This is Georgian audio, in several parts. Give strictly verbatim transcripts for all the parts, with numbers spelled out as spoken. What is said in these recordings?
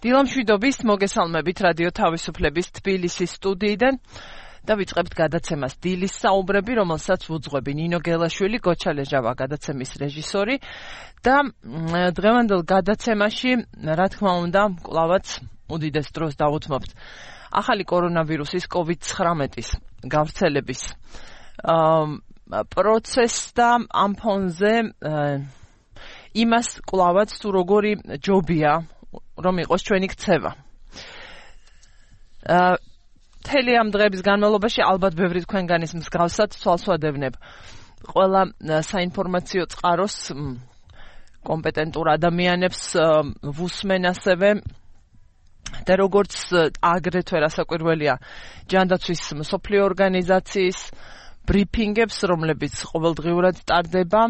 დილამშვიდობის მოგესალმებით რადიო თავისუფლების თბილისის სტუდიიდან და ვიწყებთ გადაცემას დილის საუბრები, რომელსაც უძღვები ნინო გელაშვილი, გოჩა ლეჟავა გადაცემის რეჟისორი და დღევანდელ გადაცემაში, რა თქმა უნდა, კვლავაც უდიდეს დროს დავუთმობთ ახალი კორონავირუსის კოვიდ ცხრამეტის გავრცელების პროცესს და ამ ფონზე იმას კვლავაც თუ როგორი ჯობია რომ იყოს ჩვენი ქცევა. მთელი ამ დღეების განმავლობაში ალბათ ბევრი თქვენგანის მსგავსად თვალს ვადევნებ ყველა საინფორმაციო წყაროს კომპეტენტურ ადამიანებს ვუსმენ ასევე და როგორც აგრეთვე რასაკვირველია ჯანდაცვის მსოფლიო ორგანიზაციის ბრიფინგებს, რომლებიც ყოველდღიურად ტარდება.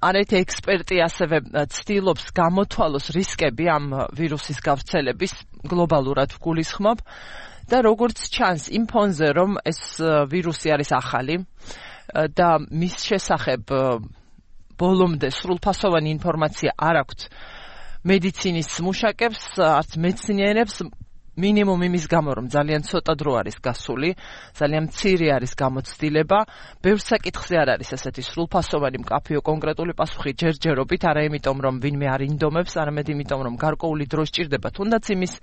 არაერთი ექსპერტი ასევე ცდილობს გამოთვალოს რისკები ამ ვირუსის გავრცელების გლობალურად ვგულისხმობ და როგორც ჩანს იმ ფონზე რომ ეს ვირუსი არის ახალი და მის შესახებ ბოლომდე სრულფასოვანი ინფორმაცია არ აქვთ მედიცინის მუშაკებს, არც მეცნიერებს, მინიმუმ იმის გამო რომ ძალიან ცოტა დრო არის გასული, ძალიან მცირე არის გამოცდილება, ბევრ საკითხზე არ არის ასეთი სრულფასოვანი მკაფიო კონკრეტული პასუხი ჯერჯერობით, არა იმიტომ რომ ვინმე არ ინდომებს, არამედ იმიტომ რომ გარკვეული დრო სჭირდება თუნდაც იმის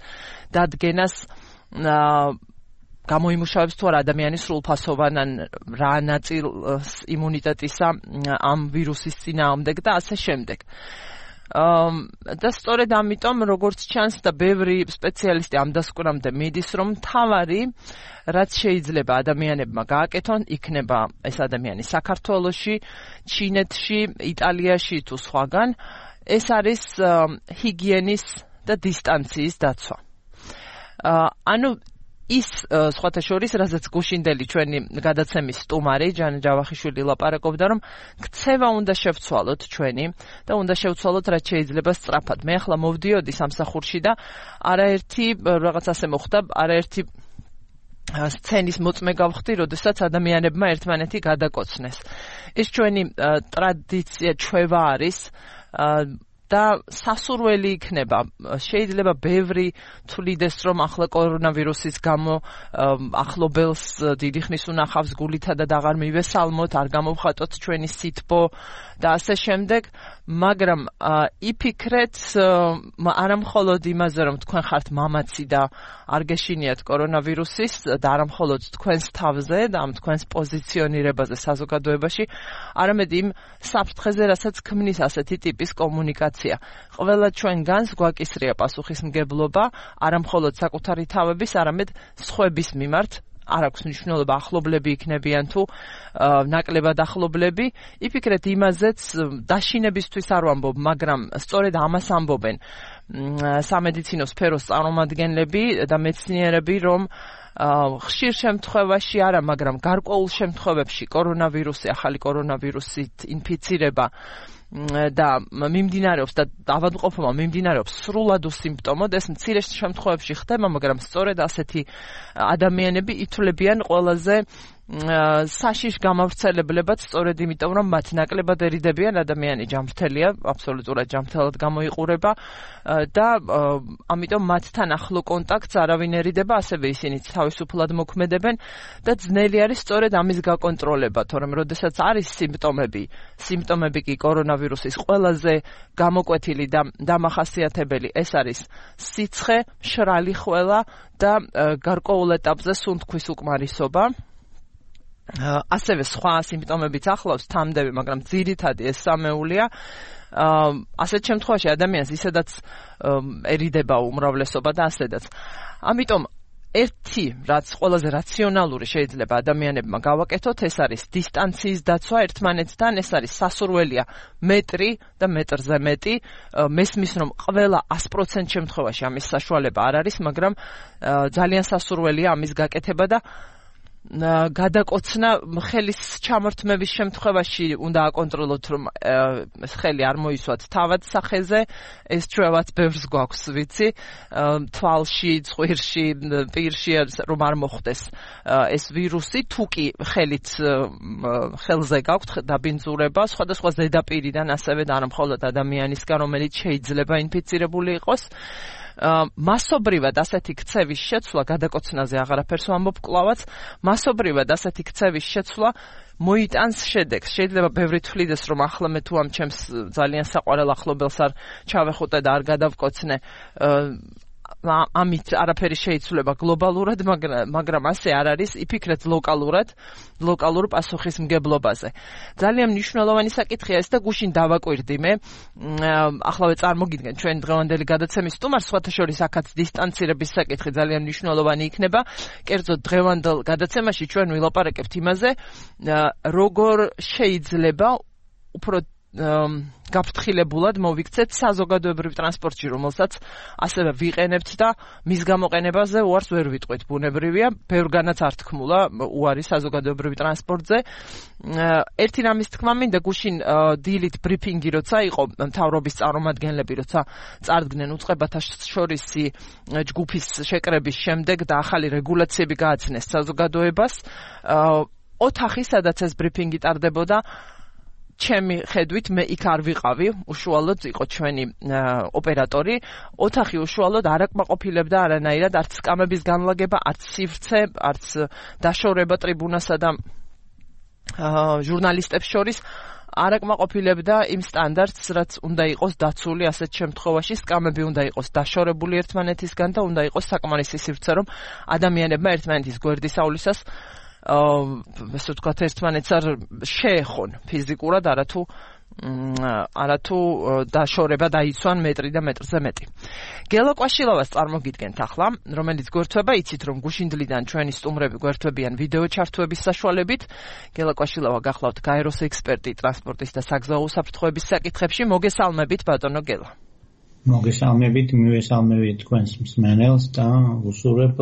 დადგენას გამოიმუშავებს თუ არა ადამიანის სრულფასოვან ან რა ნაწილს იმუნიტეტისა ამ ვირუსის წინააღმდეგ და ასე შემდეგ. და სწორედ ამიტომ როგორც ჩანს და ბევრი სპეციალისტი ამ დასკვნამდე მიდის რომ მთავარი რაც შეიძლება ადამიანებმა გააკეთონ იქნება ეს ადამიანი საქართველოში, ჩინეთში, იტალიაში თუ სხვაგან ეს არის ჰიგიენის და დისტანციის დაცვა. ანუ ის სხვათა შორის, რასაც გუშინდელი ჩვენი გადაცემის სტუმარი ჯან ჯავახიშვილი ლაპარაკობდა, რომ ქცევა უნდა შევცვალოთ ჩვენი და უნდა შევცვალოთ რაც შეიძლება სწრაფად. მე ახლა მოვდიოდი სამსახურში და არაერთი რაღაც ასე მოხდა, არაერთი სცენის მოწმე გავხდი, როდესაც ადამიანებმა ერთმანეთი გადაკოცნეს. ეს ჩვენი ტრადიცია, ჩვევა არის და სასურველი იქნება. შეიძლება ბევრი თვლიდეს რომ ახლა კორონავირუსის გამო ახლობელს დიდი ხნის უნახავს გულითა და აღარ მივესალმოთ, არ გამოვხატოთ ჩვენი სითბო და ასე შემდეგ, მაგრამ იფიქრეთ არა მხოლოდ იმაზე რომ თქვენ ხართ მამაცი და არ გეშინიათ კორონავირუსის და არა მხოლოდ თქვენს თავზე და ამ თქვენს პოზიციონირებაზე საზოგადოებაში, არამედ იმ საფრთხეზე, რასაც ქმნის ასეთი ტიპის კომუნიკაცია. ყველა ჩვენგანს გვაკისრია პასუხისმგებლობა არა მხოლოდ საკუთარი თავების, არამედ სხვების მიმართ. არ აქვს მნიშვნელობა ახლობლები იქნებიან თუ ნაკლებად ახლობლები. იფიქრეთ იმაზეც, დაშინებისთვის არ ვამბობ, მაგრამ სწორედ ამას ამბობენ სამედიცინო სფეროს წარმომადგენლები და მეცნიერები, რომ ხშირ შემთხვევაში არა, მაგრამ გარკვეულ შემთხვევებში კორონავირუსი, ახალი კორონავირუსით ინფიცირება და მიმდინარეობს და ავადმყოფობა მიმდინარეობს სრულად უსიმპტომოდ, ეს მცირე შემთხვევებში ხდება, მაგრამ სწორედ ასეთი ადამიანები ითვლებიან ყველაზე საშიშ გამავრცელებლებად, სწორედ იმიტომ რომ მათ ნაკლებად ერიდებიან, ადამიანი ჯანმრთელია, აბსოლუტურად ჯანმრთელად გამოიყურება და ამიტომ მათთან ახლო კონტაქტს არავინერიდება, ასევე ისინიც თავისუფლად მოქმედებენ და ძნელი არის სწორედ ამის გაკონტროლება, თორემ როდესაც არის სიმპტომები, სიმპტომები კი კორონავირუსის ყველაზე გამოკვეთილი და დამახასიათებელი ეს არის სიცხე, მშრალი ხველა და გარკვეულ ეტაპზე სუნთქვის უკმარისობა. ასევე სხვა სიმპტომებიც ახლავს თამდები, მაგრამ ძირითადი ეს სამეულია. ასეთ შემთხვევაში ადამიანს ისედაცერიდება უმრავლესობა და ასედაც. ამიტომ ერთი, რაც ყველაზე რაციონალური შეიძლება ადამიანებმა გავაკეთოთ, ეს არის დისტანციის დაცვა ერთმანეთთან, ეს არის სასურველია მეტრი და მეტრზე მეტი. მესმის რომ ყველა ას პროცენტ შემთხვევაში ამის საშუალება არ არის, მაგრამ ძალიან სასურველია ამის გაკეთება და გადაკოცნა ხელის ჩამორთმების შემთხვევაში უნდა აკონტროლოთ რომ ეს ხელი არ მოისვათ თავად სახეზე ეს ჩვევაც ბევრს გვაქვს ვიცი თვალში წვირში პირში რომ არ მოხდეს ეს ვირუსი თუ კი ხელით ხელზე გაქვთ დაბინძურება სხვადასხვა ზედაპირიდან ასევე და არა მხოლოდ ადამიანისგან რომელიც შეიძლება ინფიცირებული იყოს მასობრივად ასეთი ქცევის შეცვლა გადაკოცნაზე აღარაფერს ვამბობ კლავაც მასობრივად ასეთი ქცევის შეცვლა მოიტანს შედეგს შეიძლება ბევრი თვლიდეს რომ ახლა მე თუ ამ ჩემს ძალიან საყვარელ ახლობელს არ ჩავეხუტე და არ გადავკოცნე ამით არაფერი შეიცვლება გლობალურად მაგრამ ასე არ არის იფიქრეთ ლოკალურად ლოკალურ პასუხისმგებლობაზე ძალიან მნიშვნელოვანი საკითხია ეს და გუშინ დავაკვირდი მე ახლავე წარმოგიდგენ ჩვენ დღევანდელი გადაცემის სტუმარს სხვათა შორის აქაც დისტანცირების საკითხი ძალიან მნიშვნელოვანი იქნება კერძოდ დღევანდელ გადაცემაში ჩვენ ვილაპარაკებთ იმაზე როგორ შეიძლება უფრო გაფრთხილებულად მოვიქცეთ საზოგადოებრივ ტრანსპორტში, რომელსაც ასევე ვიყენებთ და მის გამოყენებაზე უარს ვერ ვიტყვით. ბუნებრივია, ბევრგანაც არ თქმულა უარი საზოგადოებრივ ტრანსპორტზე. ერთი რამის თქმა მინდა გუშინ დილით ბრიფინგი როცა იყო მთავრობის წარმომადგენლები როცა წარდგნენ უწყებათა შორისი ჯგუფის შეკრების შემდეგ და ახალი რეგულაციები გააცნეს საზოგადოებას. ოთახი, სადაც ეს ბრიფინგი ტარდებოდა ჩემი ხედვით მე იქ არ ვიყავი, უშუალოდ იყო ჩვენი ოპერატორი. ოთახი უშუალოდ არ აკმაყოფილებდა არანაირად არც სკამების განლაგება, არც სივრცე, არც დაშორება ტრიბუნასა და ჟურნალისტებს შორის არ აკმაყოფილებდა იმ სტანდარტს, რაც უნდა იყოს დაცული ასეთ შემთხვევაში, სკამები უნდა იყოს დაშორებული ერთმანეთისგან და უნდა იყოს საკმარისი სივრცე, რომ ადამიანებმა ერთმანეთის გვერდისავლისას ესე ვთქვათ ერთმანეთს არ შეეხონ ფიზიკურად არათუ არათუ დაშორება დაიცვან მეტრი და მეტრზე მეტი. გელა კვაშილოვას წარმოგიდგენთ ახლა, რომელიც გვერდთვება, იცით რომ გუშინდლიდან ჩვენი სტუმრები გვერდთვებიან ვიდეო ჩართვების საშუალებით. გელა კვაშილოვა გახლავთ გაეროს ექსპერტი ტრანსპორტის და საგზაო უსაფრთხოების საკითხებში. მოგესალმებით ბატონო გელა. მოგესალმებით, მივესალმებით თქვენს მსმენელს და უსურვებ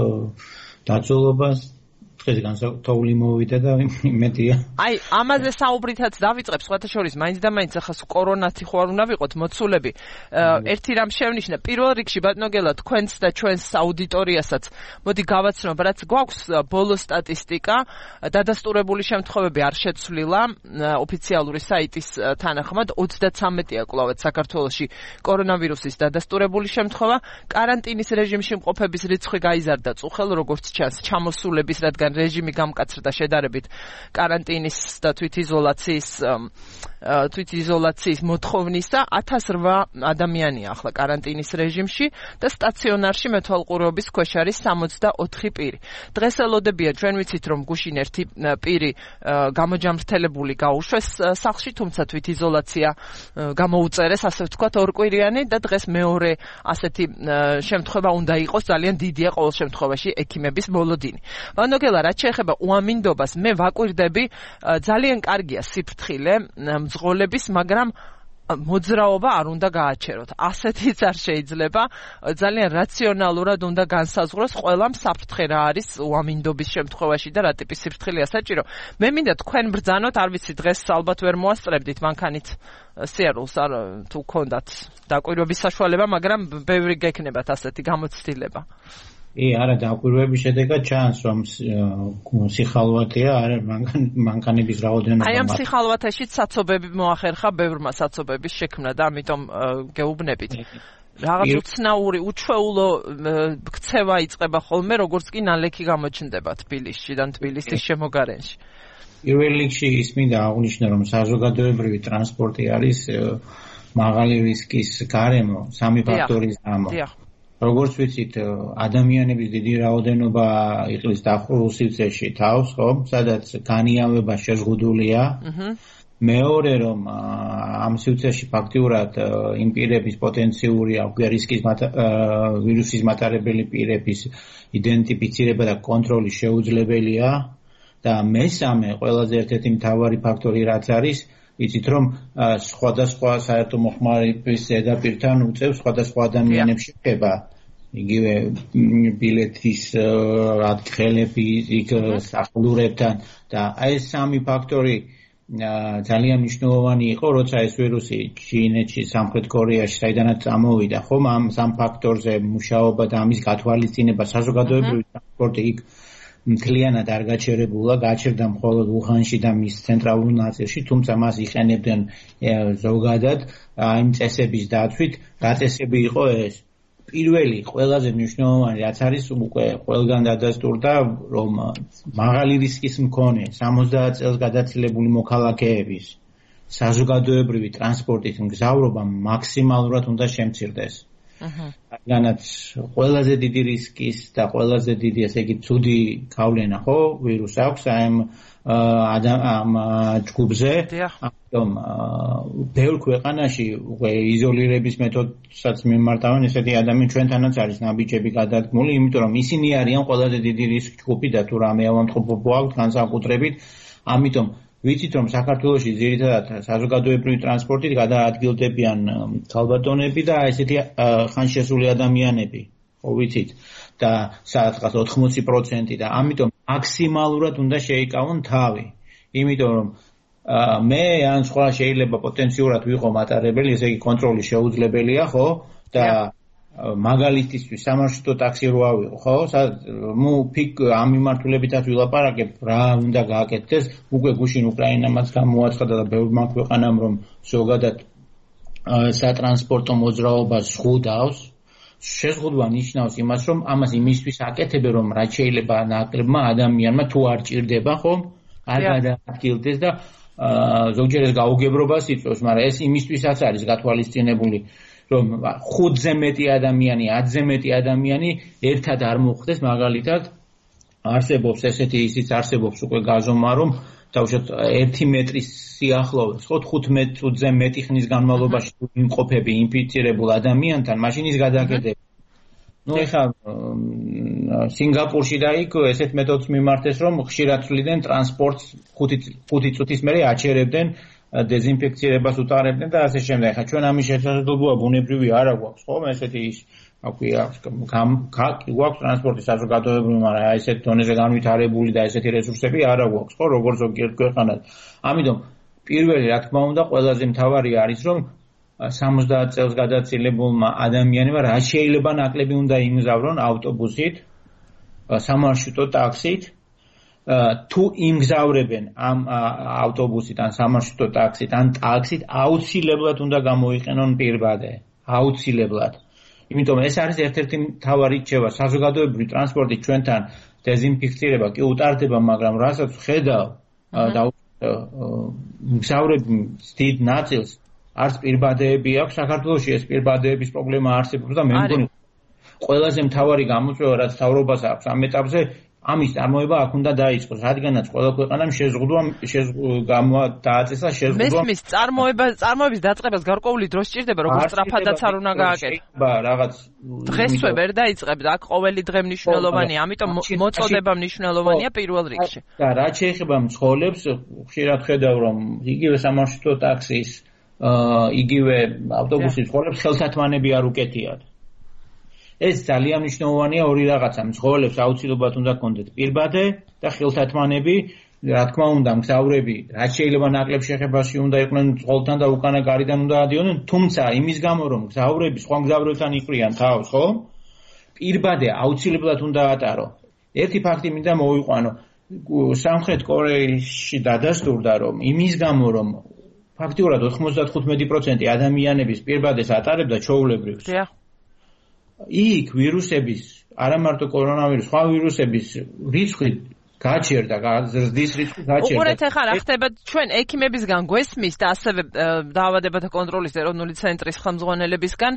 დაწოლობას დღეს განსაკუთრებული მოვიდა და იმედია. აი, ამაზე საუბრითაც დავიწყებ, სხვათა შორის, მაინც და მაინც ახლა კორონათი ხო არ უნდა ვიყოთ მოცულები. ერთი რამ შევნიშნე, პირველ რიგში ბატონო გელა, თქვენს და ჩვენს აუდიტორიასაც მოდი გავაცნობ, რაც გვაქვს ბოლო სტატისტიკა, დადასტურებული შემთხვევები არ შეცვლილა ოფიციალური საიტის თანახმად, ოცდათრამეტია კვლავაც საქართველოში კორონავირუსის დადასტურებული შემთხვევა, კარანტინის რეჟიმში მყოფების რიცხვი გაიზარდა წუხელ, როგორც ჩანს, ჩამოსულების, რადგან რეჟიმი გამკაცრდა შედარებით კარანტინის და თვითიზოლაციის თვითიზოლაციის მოთხოვნისა ათას რვა ადამიანია ახლა კარანტინის რეჟიმში და სტაციონარში მეთვალყურეობის ქვეშ არის სამოცდაოთხი პირი. დღეს ელოდებია ჩვენ ვიცით რომ გუშინ ერთი პირი გამოჯამრთელებული გაუშვეს სახლში, თუმცა თვითიზოლაცია გამოუწერეს, ასე ვთქვათ, ორკვირიანი და დღეს მეორე ასეთი შემთხვევა უნდა იყოს, ძალიან დიდია ყოველ შემთხვევაში ექიმების მოლოდინი. ვანოგელა, რაც შეეხება უამინდობას, მე ვაკვირდები, ძალიან კარგია სიფრთხილე მძღოლების, მაგრამ მოძრაობა არ უნდა გააჩეროთ. ასეთიც არ შეიძლება, ძალიან რაციონალურად უნდა განსაზღვროს ყველამ საფრთხე რა არის უამინდობის შემთხვევაში და რა ტიპის სიფრთხილეა საჭირო. მე მინდა თქვენ ბრძანოთ, არ ვიცი დღეს ალბათ ვერ მოასწრებდით მანქანით სიარულს არ თუ გქონდათ დაკვირვების საშუალება, მაგრამ ბევრი გექნებათ ასეთი გამოცდილება. ი არა დაკვირვების შედეგად ჩანს რომ სიხალვათია არა მანქანების რაოდენობა. აი ამ სიხალვათაშიც საცობები მოახერხა ბევრმა საცობების შექმნა და ამიტომ გეუბნებით. რაღაც უცნაური უჩვეულო ქცევა იწყება ხოლმე, როგორც კი ნალექი გამოჩნდება თბილისში და თბილისის შემოგარენში. პირველ რიგში ის მინდა აღვნიშნო რომ საზოგადოებრივი ტრანსპორტი არის მაღალი რისკის გარემო სამი ფაქტორის გამო. როგორც ვიცით, ადამიანების დიდი რაოდენობა იყლის დახურულ სივრცეში თავს, ხო, სადაც განიავება შეზღუდულია. მეორე რომ ამ სივრცეში ფაქტიურად იმ პირების პოტენციური რისკის ვირუსის მატარებელი პირების იდენტიფიცირება და კონტროლი შეუძლებელია და მესამე ყველაზე ერთ-ერთი მთავარი ფაქტორი რაც არის იცით რომ სხვადასხვა საერთო მოხმარების ზედაპირთან უწევს სხვადასხვა ადამიანებს შეება იგივე ბილეთის ადგილები იქ სახლურებთან და აი ეს სამი ფაქტორი ძალიან მნიშვნელოვანი იყო, როცა ეს ვირუსი ჩინეთში, სამხრეთ კორეაში, საიდანაც წამოვიდა, ხომ ამ სამ ფაქტორზე მუშაობა და ამის გათვალისწინება საზოგადოებრივი ტრანსპორტი იქ მთლიანად არ გაჩერებულა, გაჩერდა მხოლოდ უხანში და მის ცენტრალურ ნაწილში, თუმცა მას იყენებდნენ ზოგადად იმ წესების დაცვით, რა წესები იყო ეს? პირველი ყველაზე მნიშვნელოვანი რაც არის უკვე ყველგან დადასტურდა, რომ მაღალი რისკის მქონე სამოცდაათ წელს გადაცილებული მოქალაქეების საზოგადოებრივი ტრანსპორტით მგზავრობა მაქსიმალურად უნდა შემცირდეს. რადგანაც ყველაზე დიდი რისკის და ყველაზე დიდი, ესე იგი, ცუდი გავლენა ხო ვირუს აქვს ამ ამ ჯგუფზე. ამიტომ ბევრ ქვეყანაში უკვე იზოლირების მეთოდსაც მიმართავენ ესეთი ადამიანები, ჩვენთანაც არის ნაბიჯები გადადგმული, იმიტომ რომ ისინი არიან ყველაზე დიდი რისკ ჯგუფი და თუ რამე ავამტყუებო აქვს განსაკუთრებით, ამიტომ ვიცით რომ საქართველოში ძირითადად საზოგადოებრივი ტრანსპორტით გადაადგილდებიან ქალბატონები და ესეთი ხანშესული ადამიანები, ხო ვიცით და სადღაც ოთხმოცი პროცენტი და ამიტომ მაქსიმალურად უნდა შეიკავონ თავი. იმიტომ რომ მე ან სხვა შეიძლება პოტენციურად ვიყო მატარებელი, ესე იგი კონტროლი შეუძლებელია, ხო? და მაგალითისთვის სამარშრუტო ტაქსი რო ავიღო, ხო? მუ ფიქ ამ მიმართულებითაც ვილაპარაკებ, რა უნდა გააკეთდეს, უკვე გუშინ უკრაინამაც გამოაცხადა და ბევრმა ქვეყანამ რომ ზოგადად სატრანსპორტო მოძრაობას ზღუდავს. შეზღუდვა ნიშნავს იმას, რომ ამას იმისთვის აკეთებენ, რომ რაც შეიძლება ნაკლებმა ადამიანმა თუ არ ჭირდება, ხომ? არ გადაადგილდეს და ზოგჯერ ეს გაუგებრობას იწვევს, მაგრამ ეს იმისთვისაც არის გათვალისწინებული, რომ ხუთზე მეტი ადამიანი, ათზე მეტი ადამიანი ერთად არ მოხდეს, მაგალითად არსებობს ესეთი ისიც არსებობს უკვე გაზომა, რომ თავშოთ ერთი მეტრის სიახლოვეს, ხო, თხუთმეტ წუთზე მეტი ხნის განმავლობაში იმყოფები ინფიცირებულ ადამიანთან, მაშინ ის გადაკეთდება. ნუ ეხლა სინგაპურში და იქ ესეთ მეთოდს მიმართეს, რომ ხშირად ცვლიდნენ ტრანსპორტს ხუთი წუთის მერე აჩერებდნენ, დეზინფექცირებას უტარებდნენ და ასე შემდეგ. ეხლა ჩვენ ამის შესაძლებლობა ბუნებრივი არ აქვს, ხო? ესეთი ის აკვია გვაქვს ტრანსპორტის საზოგადოებრივი, მაგრამ აი ესეთ დონეზე განვითარებული და ესეთი რესურსები არ აქვს, ხო, როგორც ზოგიერთ ქვეყანას. ამიტომ პირველი, რა თქმა უნდა, ყველაზე მთავარი არის, რომ სამოცდაათ წელს გადაცილებულმა ადამიანებმა რაც შეიძლება ნაკლები უნდა იმგზავრონ ავტობუსით, სამარშრუტო ტაქსით, თუ იმგზავრებენ ამ ავტობუსით ან სამარშრუტო ტაქსით ან ტაქსით, აუცილებლად უნდა გამოიყენონ პირბადე, აუცილებლად. იმიტომ ეს არის ერთ-ერთი მთავარი რჩევა. საზოგადოებრივი ტრანსპორტი ჩვენთან დეზინფექცირება კი უტარდება, მაგრამ რასაც ხედავ და მგზავრების დიდ ნაწილს არც პირბადეები აქვს. საქართველოში ეს პირბადეების პრობლემა არსებობს და მე მგონი ყველაზე მთავარი გამოწვევა რაც თავრობას აქვს ამ ეტაპზე ამის წარმოება აქ უნდა დაიწყოს, რადგანაც ყველა ქვეყანამ შეზღუდვა დააწესა შეზღუდვა. მესმის წარმოება წარმოების დაწყებას გარკვეული დრო სჭირდება, როგორც სწრაფადაც არ უნდა გააკეთოს. ბა რაღაც დღესვე ვერ დაიწყებდა, აქ ყოველი დღე მნიშვნელოვანია, ამიტომ მოწოდება მნიშვნელოვანია პირველ რიგში. და რაც შეეხება მცხოვრებს, ხშირად ხედავ რომ იგივე სამარშრუტო ტაქსის, იგივე ავტობუსის მცხოვრებს ხელთათმანები არ უკეთიათ. ეს ძალიან მნიშვნელოვანია ორი რაღაცა. მცხოვრებს აუცილებლად უნდა კონდეთ პირბადე და ხელთათმანები, რა თქმა უნდა, მგზავრები რაც შეიძლება ნაკლებ შეხებაში უნდა იყვნენ წყოლთან და უკანა გარიდან უნდა ადიოდნენ, თუმცა იმის გამო რომ მგზავრები სხვა მგზავრებთან იყრიან თავს, ხო? პირბადე აუცილებლად უნდა ატარო. ერთი ფაქტი მინდა მოვიყვანო. სამხრეთ კორეაში დადასტურდა რომ იმის გამო რომ ფაქტიურად ოთხმოცდათხუთმეტი პროცენტი ადამიანების პირბადეს ატარებდა ჩვეულებრივს. იქ ვირუსების, არა მარტო კორონავირუსი, სხვა ვირუსების რიცხვი გაჩერდა, ზრდის რიცხვი გაჩერდა. უყურეთ ახლა რა ხდება ჩვენ ექიმებისგან გვესმის და ასევე დაავადებათა კონტროლის ეროვნული ცენტრის ხელმძღვანელებისგან,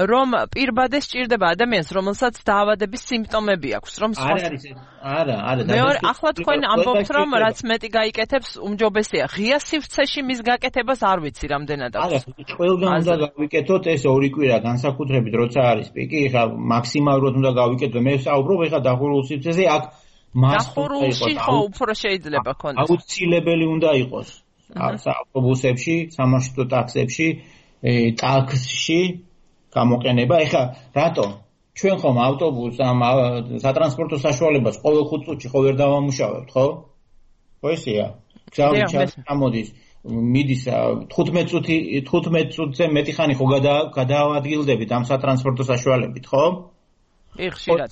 რომ პირბადე სჭირდება ადამიანს, რომელსაც დაავადების სიმპტომები აქვს, რომ არა არის არა, არა. მეორე, ახლა თქვენ ამბობთ, რომ რაც მეტი გაიკეთებს, უმჯობესია. ღია სივრცეში მის გაკეთებას არ ვიცი რამდენად აქვს. არა, ყველგან უნდა გავიკეთოთ ეს ორი კვირა განსაკუთრებით, როცა არის პიკი, ხა მაქსიმალურად უნდა გავიკეთოთ. მე ვსაუბრობ ხა დახურულ სივრცეზე, აქ დახურულში ხო უფრო შეიძლება ქონდეს. აუცილებელი უნდა იყოს. ავტობუსებში, სამარშრუტო ტაქსებში, ტაქსში გამოყენება. ეხლა რატო? ჩვენ ხომ ავტობუსს ამ სატრანსპორტო საშუალებას ყოველ ხუთ წუთში ხო ვერ დავამუშავებთ, ხო? ხო ესეა. გზავრი ჩამოდის, მიდის თხუთმეტ წუთი თხუთმეტ წუთზე მეტი ხანი ხო გადაავადგილდებით ამ სატრანსპორტო საშუალებით, ხო? კი, ხშირად.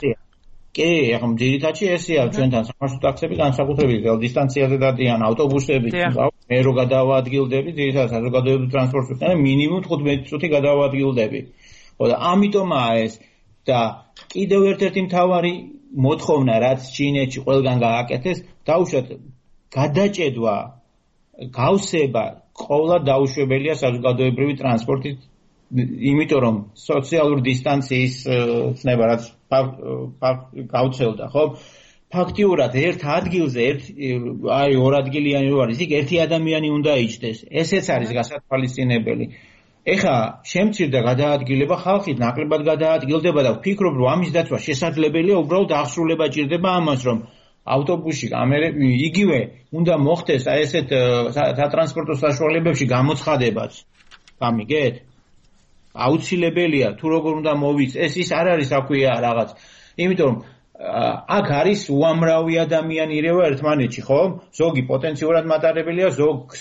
კი, ახლა ძირითადში ესეა ჩვენთან სამარშრუტო ტაქსები განსაკუთრებით დისტანციაზე დადიან ავტობუსები, მე რო გადაავადგილდები, ძირითადად საზოგადოებრივ ტრანსპორტს და მინიმუმ თხუთმეტ წუთი გადაავადგილდები. ხო და ამიტომაა ეს და კიდევ ერთ-ერთი მთავარი მოთხოვნა, რაც ჩინეთში ყველგან გააკეთეს, დაუშვათ გადაჭედვა, გავსება ყოველად დაუშვებელია საზოგადოებრივი ტრანსპორტით, იმიტომ რომ სოციალური დისტანციის ცნება რაც გავცელდა, ხო? ფაქტიურად ერთ ადგილზე, ერთ აი ორ ადგილიანი რო არის, იქ ერთი ადამიანი უნდა იჯდეს. ესეც არის გასათვალისწინებელი. ეხა შემცირდა გადაადგილება, ხალხი ნაკლებად გადაადგილდება და ვფიქრობ, რომ ამის დაცვა შესაძლებელია, უბრალოდ აღსრულება ჭირდება ამას, რომ ავტობუსში იგივე უნდა მოხდეს აი ესეთ სატრანსპორტო საშუალებებში გამოცხადებაც. გამიგეთ? აუცილებელია თუ როგორ უნდა მოვიც, ეს ის არ არის აქვია რაღაც. იმიტომ რომ აქ არის უამრავი ადამიანი ირევა ერთმანეთში, ხო? ზოგი პოტენციურად მატარებელია, ზოგს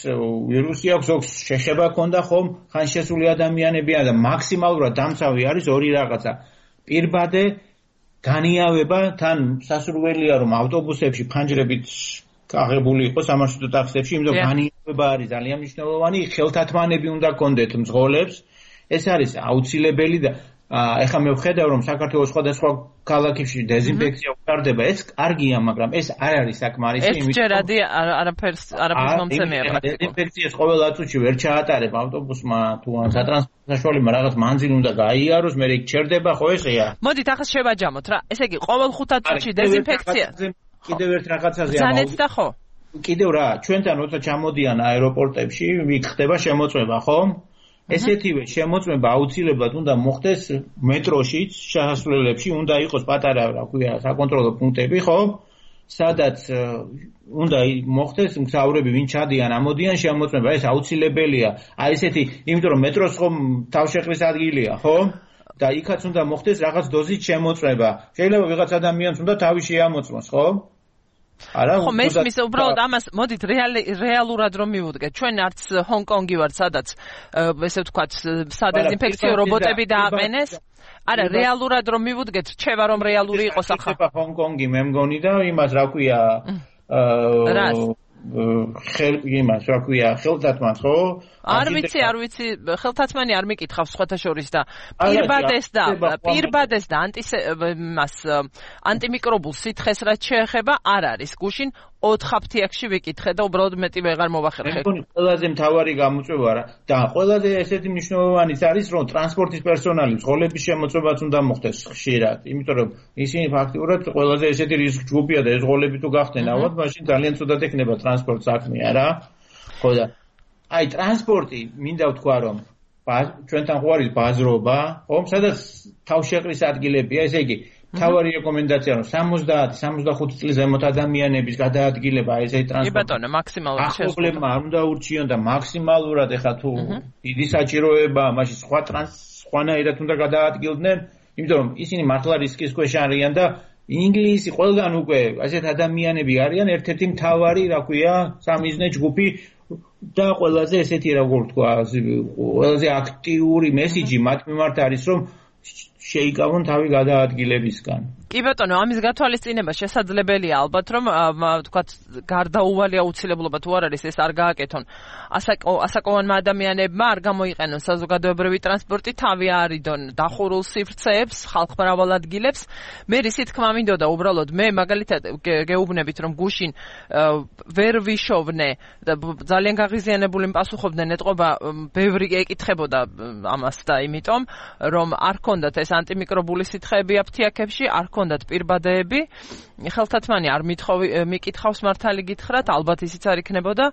ვირუსი აქვს, ზოგს შეხება ქონდა, ხო? ხანშესული ადამიანებია და მაქსიმალურად დამცავი არის ორი რაღაცა. პირბადე განიავება, თან სასურველია რომ ავტობუსებში ფანჯრებით აღებული იყოს სამარშრუტო ტაქსებში, იმიტომ რომ განიავება არის ძალიან მნიშვნელოვანი, ხელთათმანები უნდა გქონდეთ მძღოლებს. ეს არის აუცილებელი და ეხლა მე ვხედავ რომ საქართველოს სხვადასხვა ქალაქებში დეზინფექცია უყარდება, ეს კარგია, მაგრამ ეს არ არის საკმარისი, იმიტომ რომ ერთჯერადი არაფერს არაფერს მომცემია პრაქტიკულად. დეზინფექციას ყოველ წუთში ვერ ჩაატარებ ავტობუსმა თუ ან სატრანსპორტო საშუალებამ რაღაც მანძილი უნდა გაიაროს, მე იქ ჩერდება, ხო ესეა. მოდით ახლა შევაჯამოთ რა. ესე იგი ყოველ ხუთ წუთში დეზინფექცია. კიდევ ერთ რაღაცაზე ამბობ. და ხო? კიდევ რა, ჩვენთან როცა ჩამოდიან აეროპორტებში, იქ ხდება შემოწმება, ხო? ესეთივე შემოწმება აუცილებლად უნდა მოხდეს მეტროშიც, შესასვლელებში უნდა იყოს პატარა, რა ქვია, საკონტროლო პუნქტები, ხო? სადაც უნდა მოხდეს მგზავრები, ვინ ჩადიან, ამოდიან შემოწმება, ეს აუცილებელია. აი ესეთი, იმიტომ რომ მეტროს ხომ თავშეყრის ადგილია, ხო? და იქაც უნდა მოხდეს რაღაც დოზით შემოწმება. შეიძლება ვიღაც ადამიანს უნდა თავი შეამოწმოს, ხო? არა, ხო, მესმის უბრალოდ ამას მოდით რეალურად რომ მივუდგეთ. ჩვენ არც ჰონკონგი ვართ, სადაც ესე ვთქვათ, სადეზინფექციო რობოტები დააყენეს. არა, რეალურად რომ მივუდგეთ, რჩება რომ რეალური იყოს ახლა. ჰონკონგი მე მგონი და იმას რა ქვია, აა ხელ იმას რა ქვია, ხელთათმანს, ხო? არ ვიცი, არ ვიცი, ხელთათმანი არ მიკითხავს სხვათა შორის და პირბადეს და პირბადეს და ანტისემას ანტიმიკრობულ სითხეს რაც შეეხება არ არის გუშინ ოთხ აფთიაქში ვიკითხე და უბრალოდ მეტი ვეღარ მოვახერხე. მე მგონი ყველაზე მთავარი გამოწვევა რა და ყველაზე ესეთი მნიშვნელოვანიც არის რომ ტრანსპორტის პერსონალი მძღოლების შემოწმებაც უნდა მოხდეს ხშირად, იმიტომ რომ ისინი ფაქტიურად ყველაზე ესეთი რისკ ჯგუფია და ეს მძღოლები თუ გახდნენ ალბათ მაშინ ძალიან ცუდად ექნება ტრანსპორტ საქმეა რა. ხო და აი ტრანსპორტი მინდა ვთქვა რომ ჩვენთან ხო არის ბაზრობა, ხო, სადაც თავშეყრის ადგილებია, ესე იგი თავარი რეკომენდაცია რომ სამოცდაათი სამოცდახუთი წლის ზემოთ ადამიანების გადაადგილება ესე ტრანსპორტი. კი ბატონო, მაქსიმალურად შესაძლოა. არ უნდა ურჩიონ და მაქსიმალურად ეხა თუ დიდი საჭიროება, მაშინ სხვა ტრანს სხვანაირად უნდა გადაადგილდნენ, იმიტომ რომ ისინი მართლა რისკის ქვეშ არიან და ინგლისი ყველგან უკვე ასეთ ადამიანები არიან, ერთ-ერთი მთავარი, რა ქვია, სამიზნე ჯგუფი და ყველაზე ესეთი როგორ თქვა, ყველაზე აქტიური მესიჯი მათ მიმართ არის რომ შეიკავონ თავი გადაადგილებისგან. კი ბატონო, ამის გათვალისწინება შესაძლებელია ალბათ, რომ ვთქვათ, გარდაუვალი აუცილებლობა თუ არ არის, ეს არ გააკეთონ. ასაკოვანმა ადამიანებმა არ გამოიყენონ საზოგადოებრივი ტრანსპორტი, თავი არიდონ დახურულ სივრცეებს, ხალხმრავალ ადგილებს. მე რისი თქმა მინდოდა უბრალოდ, მე მაგალითად გეუბნებით, რომ გუშინ ვერ ვიშოვნე და ძალიან გაღიზიანებული პასუხობდნენ, ეტყობა ბევრი ეკითხებოდა ამას და იმიტომ, რომ არ ქონდათ ეს ანტიმიკრობული სითხეები აფთიაქებში, არ გქონდათ პირბადეები, ხელთათმანი არ მიკითხავს მართალი გითხრათ, ალბათ ისიც არ იქნებოდა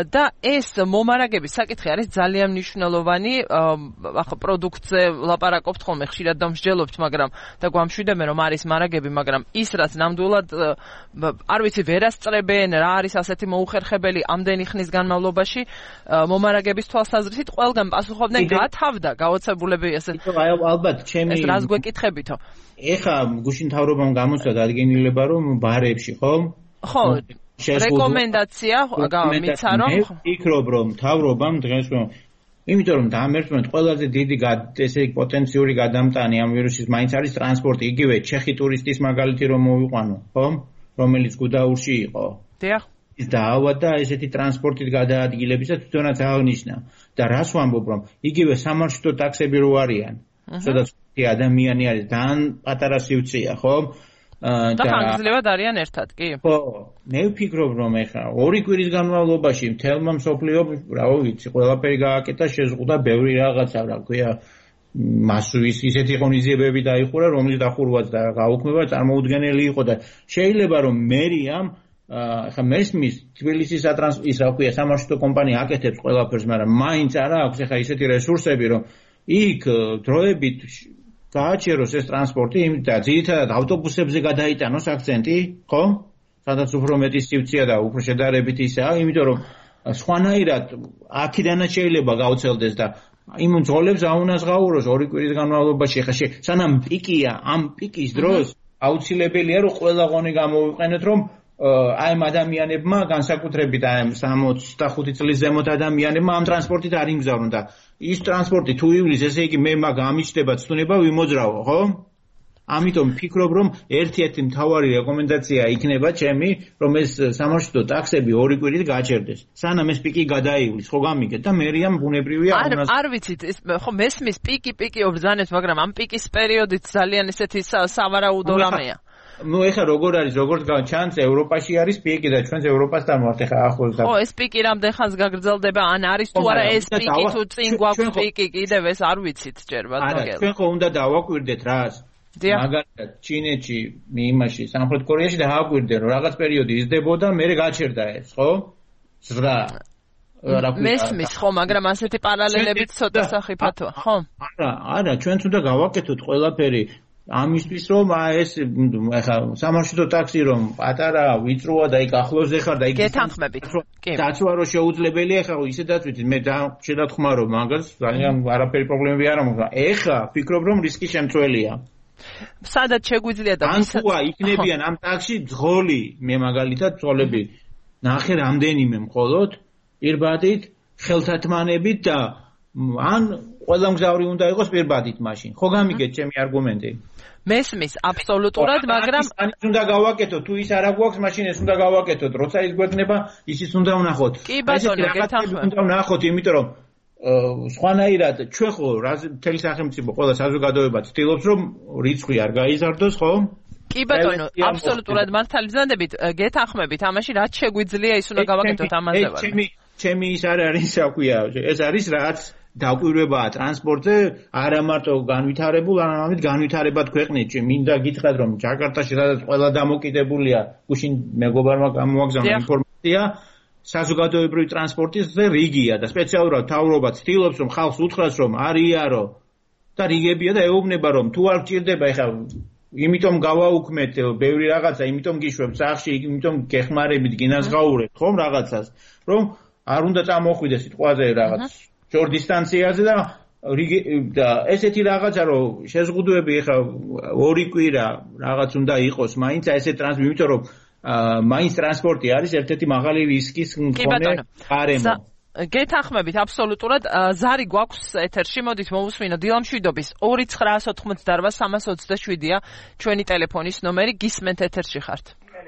და ეს მომარაგების საკითხი არის ძალიან მნიშვნელოვანი. ახლა პროდუქტზე ლაპარაკობთ ხოლმე, ხშირად დამსჯელობთ, მაგრამ და გვამშვიდებენ რომ არის მარაგები, მაგრამ ის რაც ნამდვილად არ ვიცი ვერასწრებენ, რა არის ასეთი მოუხერხებელი ამდენი ხნის განმავლობაში მომარაგების თვალსაზრისით ყველგან პასუხობდნენ გათავდა გაოცებულები ესე. ალბათ ჩემი ეს რას გვეკითხებითო? ეხა გუშინ მთავრობამ გამოსცა დადგენილება რომ ბარებში ხო? ხო, რეკომენდაცია გამიცა რომ ვფიქრობ რომ მთავრობამ დღეს რომ იმიტომ რომ დამერთმეთ ყველაზე დიდი ესე იგი პოტენციური გადამტანი ამ ვირუსის მაინც არის ტრანსპორტი, იგივე ჩეხი ტურისტის მაგალითი რომ მოვიყვანო, ხო? რომელიც გუდაურში იყო. დიახ. ის დაავადდა ესეთი ტრანსპორტით გადაადგილებისა თვითონაც აღნიშნა და რას ვამბობ რომ იგივე სამარშრუტო ტაქსები რო არიან, სადაც ადამიანი არის ძალიან პატარა სივრცეა, ხო? და ხანგრძლივად არიან ერთად, კი? ხო, მე ვფიქრობ რომ ეხლა ორი კვირის განმავლობაში მთელმა მსოფლიომ, რა ვიცი, ყველაფერი გააკეთა, შეზღუდა ბევრი რაღაცა, რა ქვია, მასუის ისეთი ღონისძიებები დაიხურა, რომლის დახურვაც და გაუქმება წარმოუდგენელი იყო და შეიძლება რომ მერიამ ახლა მესმის თბილისის სატრანსპორტო ის რა ქვია სამარშრუტო კომპანია აკეთებს ყველაფერს, მაგრამ მაინც არა აქვს ახლა ისეთი რესურსები, რომ იქ დროებით გააჩეროს ეს ტრანსპორტი, და ძირითადად ავტობუსებზე გადაიტანოს აქცენტი, ხო? სადაც უფრო მეტი სივრცეა და უფრო შედარებით ისაა, იმიტომ რომ სხვანაირად აქედანაც შეიძლება გაუცელდეს და იმ ძღოლებს აუნაზღაუროს ორი კვირის განმავლობაში. ახლა სანამ პიკია, ამ პიკის დროს აუცილებელია რომ ყველა ღონე გამოვიყენოთ, რომ აი ამ ადამიანებმა განსაკუთრებით აი ამ სამოცდახუთი წლის ზემოთ ადამიანებმა ამ ტრანსპორტით არ იმგზავრონ და ის ტრანსპორტი თუ ივლის, ესე იგი მე მაგ ამიჩნდება ცნუნება ვიმოძრავო, ხო? ამიტომ ვფიქრობ რომ ერთ-ერთი მთავარი რეკომენდაცია იქნება ჩემი, რომ ეს სამარშრუტო ტაქსები ორი კვირით გაჩერდეს. სანამ ეს პიკი გადაივლის, ხო გამიგეთ და მერიამ ბუნებრივია არ არ ვიცით, ხო მესმის პიკი პიკი ობრძანებს, მაგრამ ამ პიკის პერიოდით ძალიან ესეთი სავარაუდო რამეა. ნუ ეხლა როგორ არის, როგორც ჩანს, ევროპაში არის პიკი და ჩვენც ევროპასთან ვართ ეხლა ახლოს და ხო, ეს პიკი რამდენ ხანს გაგრძელდება, ან არის თუ არა ეს პიკი თუ წინ გვაქვს პიკი კიდევ ეს არ ვიცით ჯერ ბატონო. არა, ჩვენ ხო უნდა დავაკვირდეთ რას. მაგალითად, ჩინეთში, იმაში, სამხრეთ კორეაში დააკვირდნენ, რომ რაღაც პერიოდი იზრდებოდა, მერე გაჩერდა ეს, ხო? ზრდა. მესმის ხო, მაგრამ ასეთი პარალელებიც ცოტა სახიფათოა, ხო? არა, არა, ჩვენც უნდა გავაკეთოთ ყველაფერი ამისთვის რომ ეს ახლა სამარშრუტო ტაქსი რომ პატარა ვიწროა და იქ ახლოსზე ხარ და იქ გეთანხმებით. კი. დაცვა რო შეუძლებელია, ახლა ისედაც ვიცით, მე შედათქმარო მაგას, ძალიან არაფერი პრობლემები არ მაქვს. ეხლა ვფიქრობ რომ რისკი შემცველია. სადაც შეგვიძლია და ვისაც იქნებიან ამ ტაქსში ძღოლი, მე მაგალითად ძღოლები ნახე რამდენიმე მხოლოდ პირბადით, ხელთათმანებით და ან ყველა მგზავრი უნდა იყოს პირბადით მაშინ. ხო გამიგეთ ჩემი არგუმენტი? მესმის აბსოლუტურად, მაგრამ ის უნდა გავაკეთოთ, თუ ის არ აქვს, მაშინ ეს უნდა გავაკეთოთ. როცა ის გვექნება, ისიც უნდა ვნახოთ. კი ბატონო, გეთანხმებით. უნდა ვნახოთ, იმიტომ რომ სხვანაირად ჩვენ ხო მთელი სახელმწიფო ყველა საზოგადოება ცდილობს რომ რიცხვი არ გაიზარდოს, ხო? კი ბატონო, აბსოლუტურად მართალი ბრძანდებით, გეთანხმებით, ამაში რაც შეგვიძლია ის უნდა გავაკეთოთ ამაზე ვარ. ჩემი ჩემი ის არ არის, რა ქვია, ეს არის რაც დაკვირვებაა ტრანსპორტზე, არა მარტო განვითარებულ, არამედ განვითარებად ქვეყნებში. მინდა გითხრათ, რომ ჯაკარტაში სადაც ყველა დამოკიდებულია, გუშინ მეგობარმა გამოაგზავნა ინფორმაცია, საზოგადოებრივი ტრანსპორტის რიგია და სპეციალურად მთავრობა ცდილობს, რომ ხალხს უთხრას, რომ არ იარო და რიგებია და ეუბნება, რომ თუ არ გჭირდება, ეხლა იმიტომ გავაუქმეთ ბევრი რაღაცა, იმიტომ გიშვებთ სახში, იმიტომ გეხმარებით, გინაზღაურებთ ხომ რაღაცას, რომ არ უნდა წამოხვიდეს სიტყვაზე რაღაც შორ დისტანციაზე და და ესეთი რაღაცა, რომ შეზღუდვები ეხლა ორი კვირა რაღაც უნდა იყოს, მაინც ესე ტრანსპორტი, იმიტომ რომ მაინც ტრანსპორტი არის ერთ-ერთი მაღალი რისკის მქონე გარემო. გეთანხმებით აბსოლუტურად. ზარი გვაქვს ეთერში, მოდით მოვუსმინოთ დილამშვიდობის ორი ცხრაასი ოცდაოთხმოცდაოთხ სამას ოცდაშვიდია ჩვენი ტელეფონის ნომერი, გისმენთ ეთერში ხართ.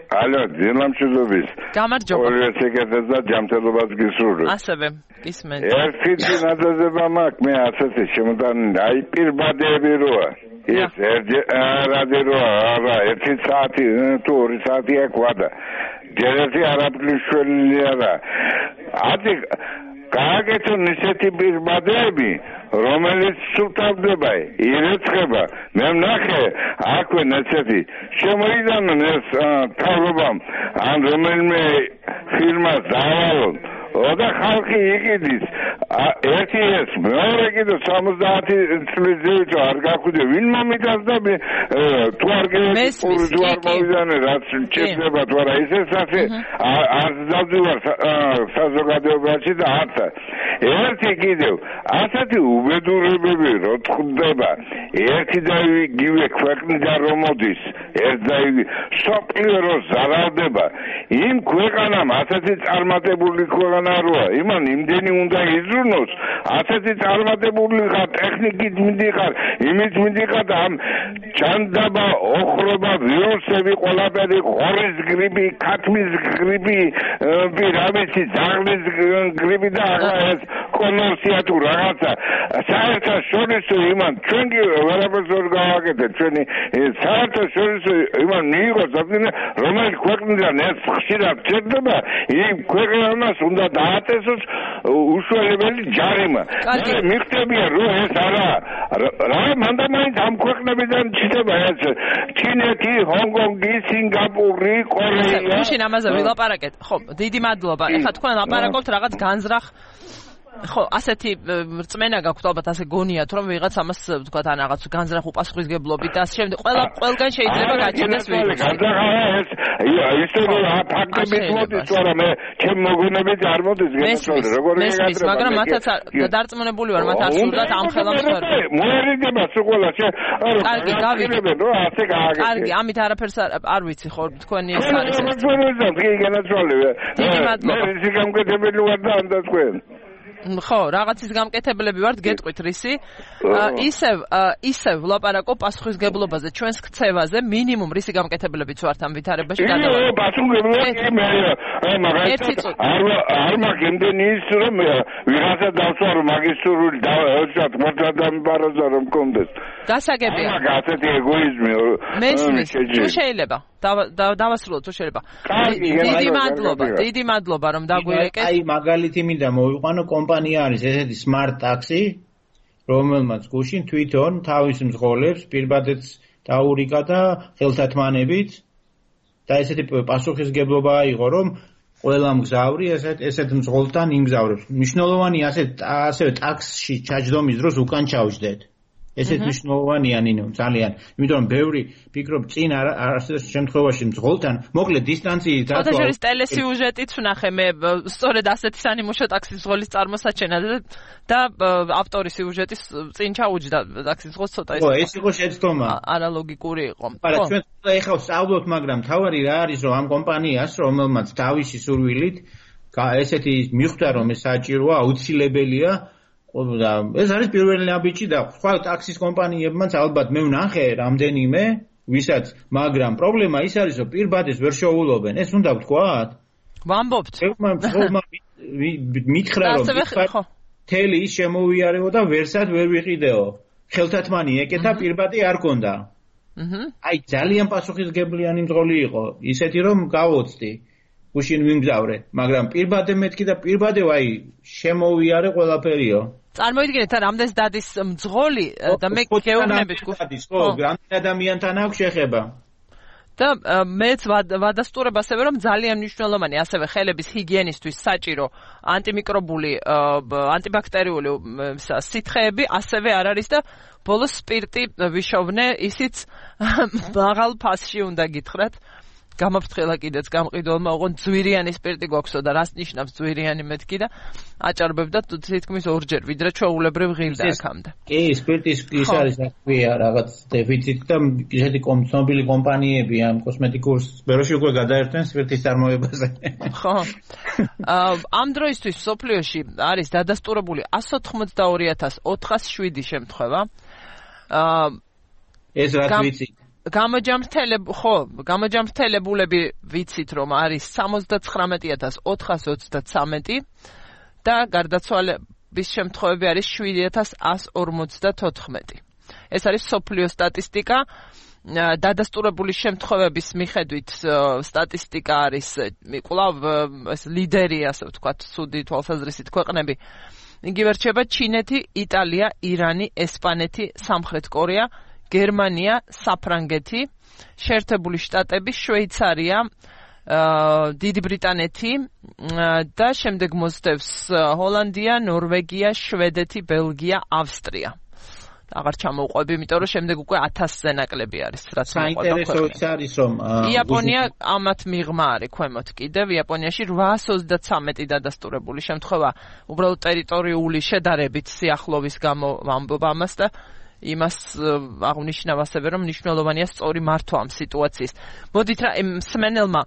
ალო, დილამშვიდობის. გამარჯობა. ორივე შეგეძებს და ჯანმრთელობას გისურვებ. ასევე, გისმენთ. ერთი წინადადება მაქვს, მე ასეთი შემოდან აი პირბადეები როა. ეს ერთი როა, არა, ერთი საათი თუ ორი საათია ყვადა. ჯერ ერთი არაფრიშველი არა. ათი გააკეთონ ისეთი პირბადეები, რომელიც სულთავდება, ირეცხება. მე ვნახე აქვე ესეთი შემოიდანონ ეს თავრობამ ან რომელიმე ფირმას დაავალონ და ხალხი იყიდის ერთი ეს მეორე კიდე სამოცდაათი წლის ზევით არ გახვიდე ვინ მომიტანს და თუ არ გეპური არ მოვიდანე რაც შეება თუ არა ისე ასე არ დავდივარ საზოგადოებაში და არც ერთი კიდევ ასეთი უბედურებები რო თხვდება ერთი და იგივე ქვეყნიდან რომ მოდის ერთ და იგივე სოფლიო რო ზარალდება იმ ქვეყანამ ასეთი წარმატებული ქვეყანა როა იმან იმდენი უნდა იზრუნოს ასეთი წარმატებული ხარ ტექნიკით მიდიხარ იმით მიდიხარ ამ ჩანდაბა ოხრობა ვირუსები ყველაფერი ხორის გრიპი ქათმის გრიპი პირამიცი ძაღლის გრიპი და ეს კონორსია თუ რაღაცა საერთაშორისო იმან ჩვენ კი ვერაფერს ვერ გავაკეთეთ ჩვენი საერთაშორისო იმან მიიღოს რომელიც ქვეყნიდან ეს ხშირად ჩერდება იმ ქვეყანას უნდა დააწესოს უშუალებელი ჯარიმა. მიხდებია რომ ეს არა რა მანდა მაინც ამ ქვეყნებიდან ჩდება ეს ჩინეთი, ჰონგონგი, სინგაპური, კორეა. გუშინ ამაზე ვილაპარაკეთ. ხო, დიდი მადლობა. ეხლა თქვენ ლაპარაკობთ რაღაც განზრახ ხო, ასეთი რწმენა გაქვთ ალბათ ასე გონიათ რომ ვიღაც ამას თქვა თან რაღაც განზრახ უპასუხისგებლობით და ასე შემდეგ. ყველა ყველგან შეიძლება გაჩნდეს ვირუსი. ეს ისე რომ ფაქტებით მოდის თუ არა მე ჩემ მოგონებით არ მოდის გენაცვალე როგორ ეგატრება. მაგრამ მათაც დარწმუნებული ვარ მათ არ სურდათ ამ ხელებს ვერ. მოერიდება სულ ყველა შე. კარგი, გავიგებ. რომ ასე გააკეთე. კარგი, ამით არაფერს არ ვიცი ხო თქვენი ეს არის. გენაცვალე. დიდი მადლობა. მე ისე გამკეთებელი ვარ და ამ და თქვენ. ხო, რაღაცის გამკეთებლები ვართ, გეტყვით რისი. ისევ ისევ ვლაპარაკო პასუხისგებლობაზე, ჩვენს ქცევაზე, მინიმუმ რისი გამკეთებლებიც ვართ ამ ვითარებაში გადავალ. ე, პასუხისგებლობა მე მაგას არ არ მაგენდენი ის რომ ვიღაცა დავსვარო მაგისტრული და ვთქვათ მართლადან ბარაზა რომ კონდეს. დასაგებია. მაგ ასეთი ეგოიზმი. მესმის, თუ შეიძლება. დავასრულოთ თუ შეიძლება. დიდი მადლობა, დიდი მადლობა რომ დაგვირეკეთ. აი მაგალითი მინდა მოვიყვანო კომპანია არის ესეთი smart taxi რომელმაც გუშინ თვითონ თავის მძღოლებს პირბადეც დაურიგა და ხელთათმანებით და ესეთი პასუხისგებლობა აიღო რომ ყველა მგზავრი ესეთ ესეთ მძღოლთან იმგზავრებს. მნიშვნელოვანი ასეთ ასევე ტაქსში ჩაჯდომის დროს უკან ჩავჯდეთ. ესეთ მნიშვნელოვანია ნინო ძალიან. იმიტომ რომ ბევრი ფიქრობ წინ არ არსებობს შემთხვევაში მძღოლთან მოკლედ დისტანციით რატო არის ტელესიუჟეტიც ვნახე მე სწორედ ასეთი სანიმუშო ტაქსის მძღოლის წარმოსაჩენა და ავტორი სიუჟეტის წინ ჩაუჯდა ტაქსის მძღოლს ცოტა ის. ხო, ეს იყო შეცდომა. არალოგიკური იყო. არა, ჩვენ ეხლა ვსწავლობთ, მაგრამ თავარი რა არის რომ ამ კომპანიას რომელმაც თავისი სურვილით ესეთი მიხვდა რომ ეს საჭიროა, აუცილებელია და ეს არის პირველი ნაბიჯი და სხვა ტაქსის კომპანიებმაც ალბათ მე ვნახე რამდენიმე ვისაც მაგრამ პრობლემა ის არის რომ პირბადეს ვერ შეუულობენ ეს უნდა ვთქვათ ვამბობთ მითხრა რომ თელი ის შემოვიარეო და ვერსად ვერ ვიყიდეო ხელთათმანი ეკეთა პირბადი არ კონდა აი ძალიან პასუხისგებლიანი მძღოლი იყო ისეთი რომ გავოცდი გუშინ ვიმგზავრე მაგრამ პირბადე მეთქი და პირბადე აი შემოვიარე ყველაფერიო წარმოიდგინეთ რა რამდენს დადის მძღოლი და მე გეუბნებით ხო რამდენ ადამიანთან აქვს შეხება და მეც ვადასტურებ ასევე რომ ძალიან მნიშვნელოვანი ასევე ხელების ჰიგიენისთვის საჭირო ანტიმიკრობული ანტიბაქტერიული სითხეები ასევე არ არის და ბოლოს სპირტი ვიშოვნე ისიც მაღალ ფასში უნდა გითხრათ გამაფრთხილა კიდეც გამყიდველმა ოღონ ძვირიანი სპირტი გვაქვსო და რას ნიშნავს ძვირიანი მეთქი და აჭარბებდა თითქმის ორჯერ ვიდრე ჩვეულებრივ ღილდა აქამდე. კი, სპირტის ის არის აქვია რაღაც დეფიციტი და ისეთი კომცნობილი კომპანიები ამ კოსმეტიკურ სფეროში უკვე გადაერთვენ სპირტის წარმოებაზე. ხო. ამ დროისთვის სოფლიოში არის დადასტურებული εκατს ოთხმოცდაორი ათას ოთხას შვიდი შემთხვევა. ეს რაც ვიცით გამოჯამრთელებ ხო გამოჯამრთელებულები ვიცით რომ არის სამოცდაცხრამეტი ათას ოთხას ოცდათვრამეტი და გარდაცვალების შემთხვევები არის შვიდი ათას ასს ორმოცდათოთხმეტი ეს არის სოფლიო სტატისტიკა დადასტურებული შემთხვევების მიხედვით სტატისტიკა არის კვლავ ეს ლიდერი, ასე ვთქვათ, ცუდი თვალსაზრისით ქვეყნები. იგივე რჩება ჩინეთი, იტალია, ირანი, ესპანეთი, სამხრეთ კორეა, გერმანია, საფრანგეთი, შეერთებული შტატები, შვეიცარია, დიდი ბრიტანეთი და შემდეგ მოსდევს ჰოლანდია, ნორვეგია, შვედეთი, ბელგია, ავსტრია. აღარ ჩამოვყვები, იმიტომ რომ შემდეგ უკვე ათასზე ნაკლები არის, რაც მოყვება. საინტერესო არის, რომ იაპონია ამათ მიღმა არის ქვემოთ კიდევ. იაპონიაში რვაას ოცდათრამეტი დადასტურებული შემთხვევა უბრალოდ ტერიტორიული შედარებით სიახლოვის გამო ვამბობ ამას და იმას აღნიშნავ ასევე, რომ მნიშვნელოვანია სწორი მართვა ამ სიტუაციის. მოდით რა მსმენელმა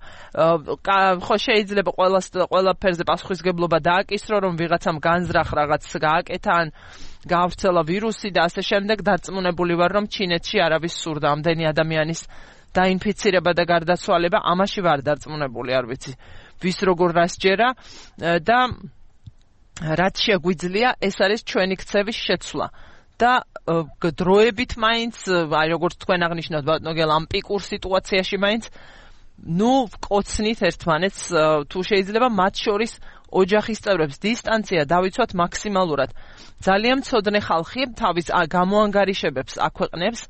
ხო შეიძლება ყველას ყველაფერზე პასუხისგებლობა დააკისრო, რომ ვიღაცამ განზრახ რაღაც გააკეთა ან გაავრცელა ვირუსი და ასე შემდეგ. დარწმუნებული ვარ, რომ ჩინეთში არავის სურდა ამდენი ადამიანის დაინფიცირება და გარდაცვალება. ამაში ვარ დარწმუნებული, არ ვიცი ვის როგორ რას ჯერა და რაც შეგვიძლია, ეს არის ჩვენი ქცევის შეცვლა. და დროებით მაინც, აი როგორც თქვენ აღნიშნავთ ბატონო, ამ პიკურ სიტუაციაში მაინც ნუ ვკოცნით ერთმანეთს, თუ შეიძლება მათ შორის ოჯახის წევრებს დისტანცია დავიცვათ მაქსიმალურად. ძალიან მცოდნე ხალხი თავის გამოანგარიშებებს აქვეყნებს,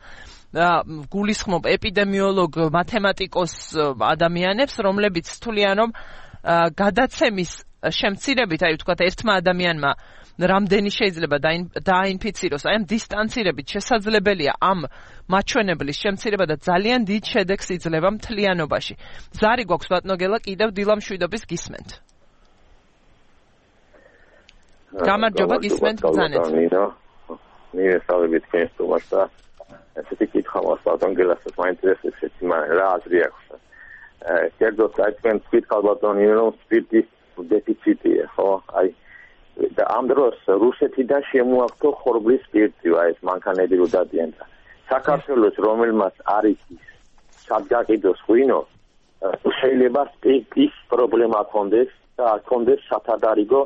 გულისხმობ ეპიდემიოლოგ, მათემატიკოს ადამიანებს, რომლებიც თვლიან, რომ გადაცემის შემცირებით, აი ვთქვათ, ერთმა ადამიანმა რამდენი შეიძლება დაინფიციროს, აი ამ დისტანცირებით შესაძლებელია ამ მაჩვენებლის შემცირება და ძალიან დიდ შედეგს იძლევა მთლიანობაში. ზარი გვაქვს ბატონო გელა, კიდევ დილამ შვიდობის გისმენთ. გამარჯობა, გისმენთ ბრძანეთ. მიესალმებით თქვენს თომას და ესეთი კითხვა მაქვს ბატონ გელასაც მაინტერესებს ესეთი რა აზრი აქვს. კერძოდ აი თქვენ თქვით ბატონო, რომ სპირტის დეფიციტია, ხო? აი და ამ დროს რუსეთიდან შემოაქვთ ხორბლის სპირტი, ეს მანქანები რო დადიან და საქართველოს რომელმაც არის სადგაყიდოს ღვინო, შეიძლება სპირტის პრობლემა ქონდეს და ქონდეს სათადარიგო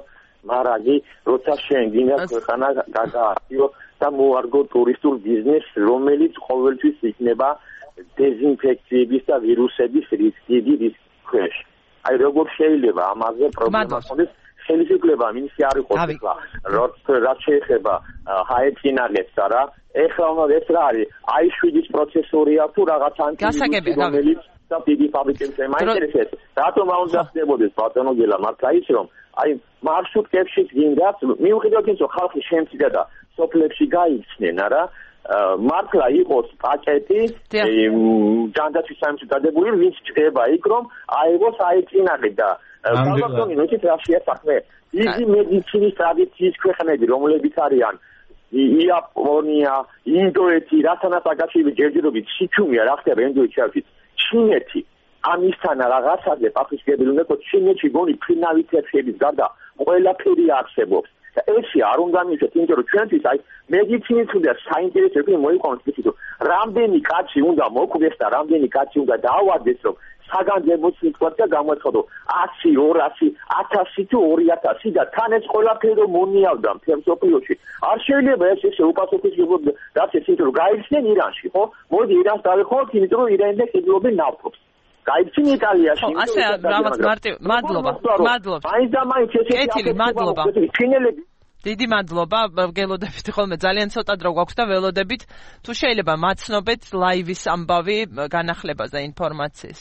მარაგი, როცა შენ გინდა ქვეყანა გადააქციო და მოარგო ტურისტულ ბიზნესს, რომელიც ყოველთვის იქნება დეზინფექციების და ვირუსების რისკი რისკი ქვეშ. აი როგორ შეიძლება ამაზე პრობლემა ქონდეს? შეიძლება მინისი არ იყოს ახლა რაც შეეხება ჰაეფინალებს არა ეხლა ეს რა არის აი შვიდის პროცესორია თუ რაღაც ანტივირუსი რომელიც და დიდი ფაბრიკებს ემაინტერესებს რატომ არ უნდა ხდებოდეს ბატონო გელა მართლა ის რომ აი მარშრუტებში გინდათ მიუხედავად იმისა რომ ხალხი შემცირდა და სოფლებში გაიქცნენ არა მართლა იყოს პაკეტი ჯანდაცვის საიმედო დადებული ვინც ჩდება იქ რომ აიღოს აეწინაღე და ბატონო ნույნით რაშია საქმე იგი მედიცინის ტრადიციის ქვეყნები რომლებიც არიან იაპონია ინდოეთი რათანაც აკავშირები ჯერჯერობით სიჩუმეა რა ხდება ინდოეთში ჩინეთი ამისთან რაღაცაზე პასუხისმგებელი უნდა იყოს ჩინეთში გონი ფინავითებში გარდა ყველაფერი არსებობს და ესე არ უნდა მივიდეს იმიტომ რომ ჩვენთვის აი მედიცინის უნდა საინტერესო მოიყვანოს ისე რომ რამდენი კაცი უნდა მოკვდეს და რამდენი კაცი უნდა დაავადდეს რომ საგანგებო სიტუაცია გამოეცხადო ათი, ორასი, ათასი თუ ორი ათასი და თან ეს ყველაფერი რომ მონიავდა მთელ მსოფლიოში. არ შეიძლება ეს ესე უპასუხისმგებლობა რაც ეს იმიტომ რომ გაიხსნენ ირანში, ხო? მოდი ირანს დავეხოთ, იმიტომ რომ ირანიდან ყიდულობენ ნავთობს. გაიხსენ იტალიაში. ხო, ასე რაღაც მარტივ, მადლობა. მადლობა. მაინც და მაინც ესე კეთილი, მადლობა. ჩინელები დიდი მადლობა, გელოდებით ხოლმე ძალიან ცოტა დრო გვაქვს და ველოდებით თუ შეიძლება მაცნობეთ ლაივის ამბავი განახლებაზე ინფორმაციის.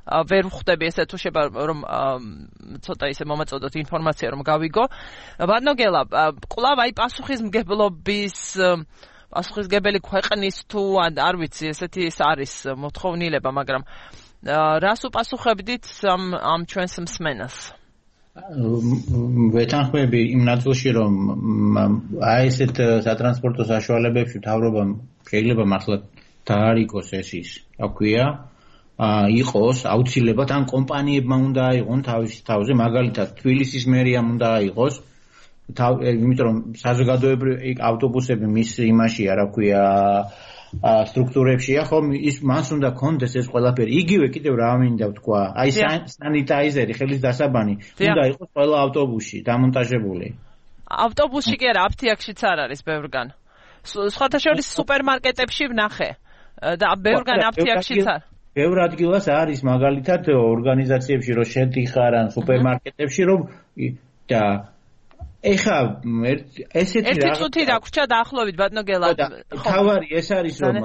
ვერ ვხვდები ესე თუ შეიძლება რომ ცოტა ისე მომაწოდოთ ინფორმაცია რომ გავიგო. ბატონო გელა, კვლავ აი პასუხისმგებლობის პასუხისმგებელი ქვეყნის თუ არ ვიცი ესეთი ის არის მოთხოვნილება, მაგრამ რას უპასუხებდით ამ ამ ჩვენს მსმენელს? ვეთანხმები იმ ნაწილში რომ აი ესეთ სატრანსპორტო საშუალებებში მთავრობამ შეიძლება მართლა დაარიგოს ეს ის, რა ქვია, იყოს აუცილებლად ან კომპანიებმა უნდა აიღონ თავის თავზე, მაგალითად თბილისის მერიამ უნდა აიღოს, იმიტომ რომ საზოგადოებრივი ავტობუსები მის იმაშია, რა ქვია, სტრუქტურებშია, ხო, ის მას უნდა კონდეს ეს ყველაფერი. იგივე კიდევ რა მინდა ვთქვა, აი სანიტაიზერი, ხელის დასაბანი უნდა იყოს ყველა ავტობუსში დამონტაჟებული. ავტობუსში კი არა, აფთიაქშიც არ არის ბევრგან. სხვათა შორის სუპერმარკეტებში ვნახე. და ბევრგან აფთიაქშიც არ ბევრ ადგილას არის მაგალითად ორგანიზაციებში რომ შედიხარ ან სუპერმარკეტებში რომ და ეხა ესეთი ერთი წუთი დაგვრჩა დაახლოებით ბატონო გელა თავარი ეს არის რომ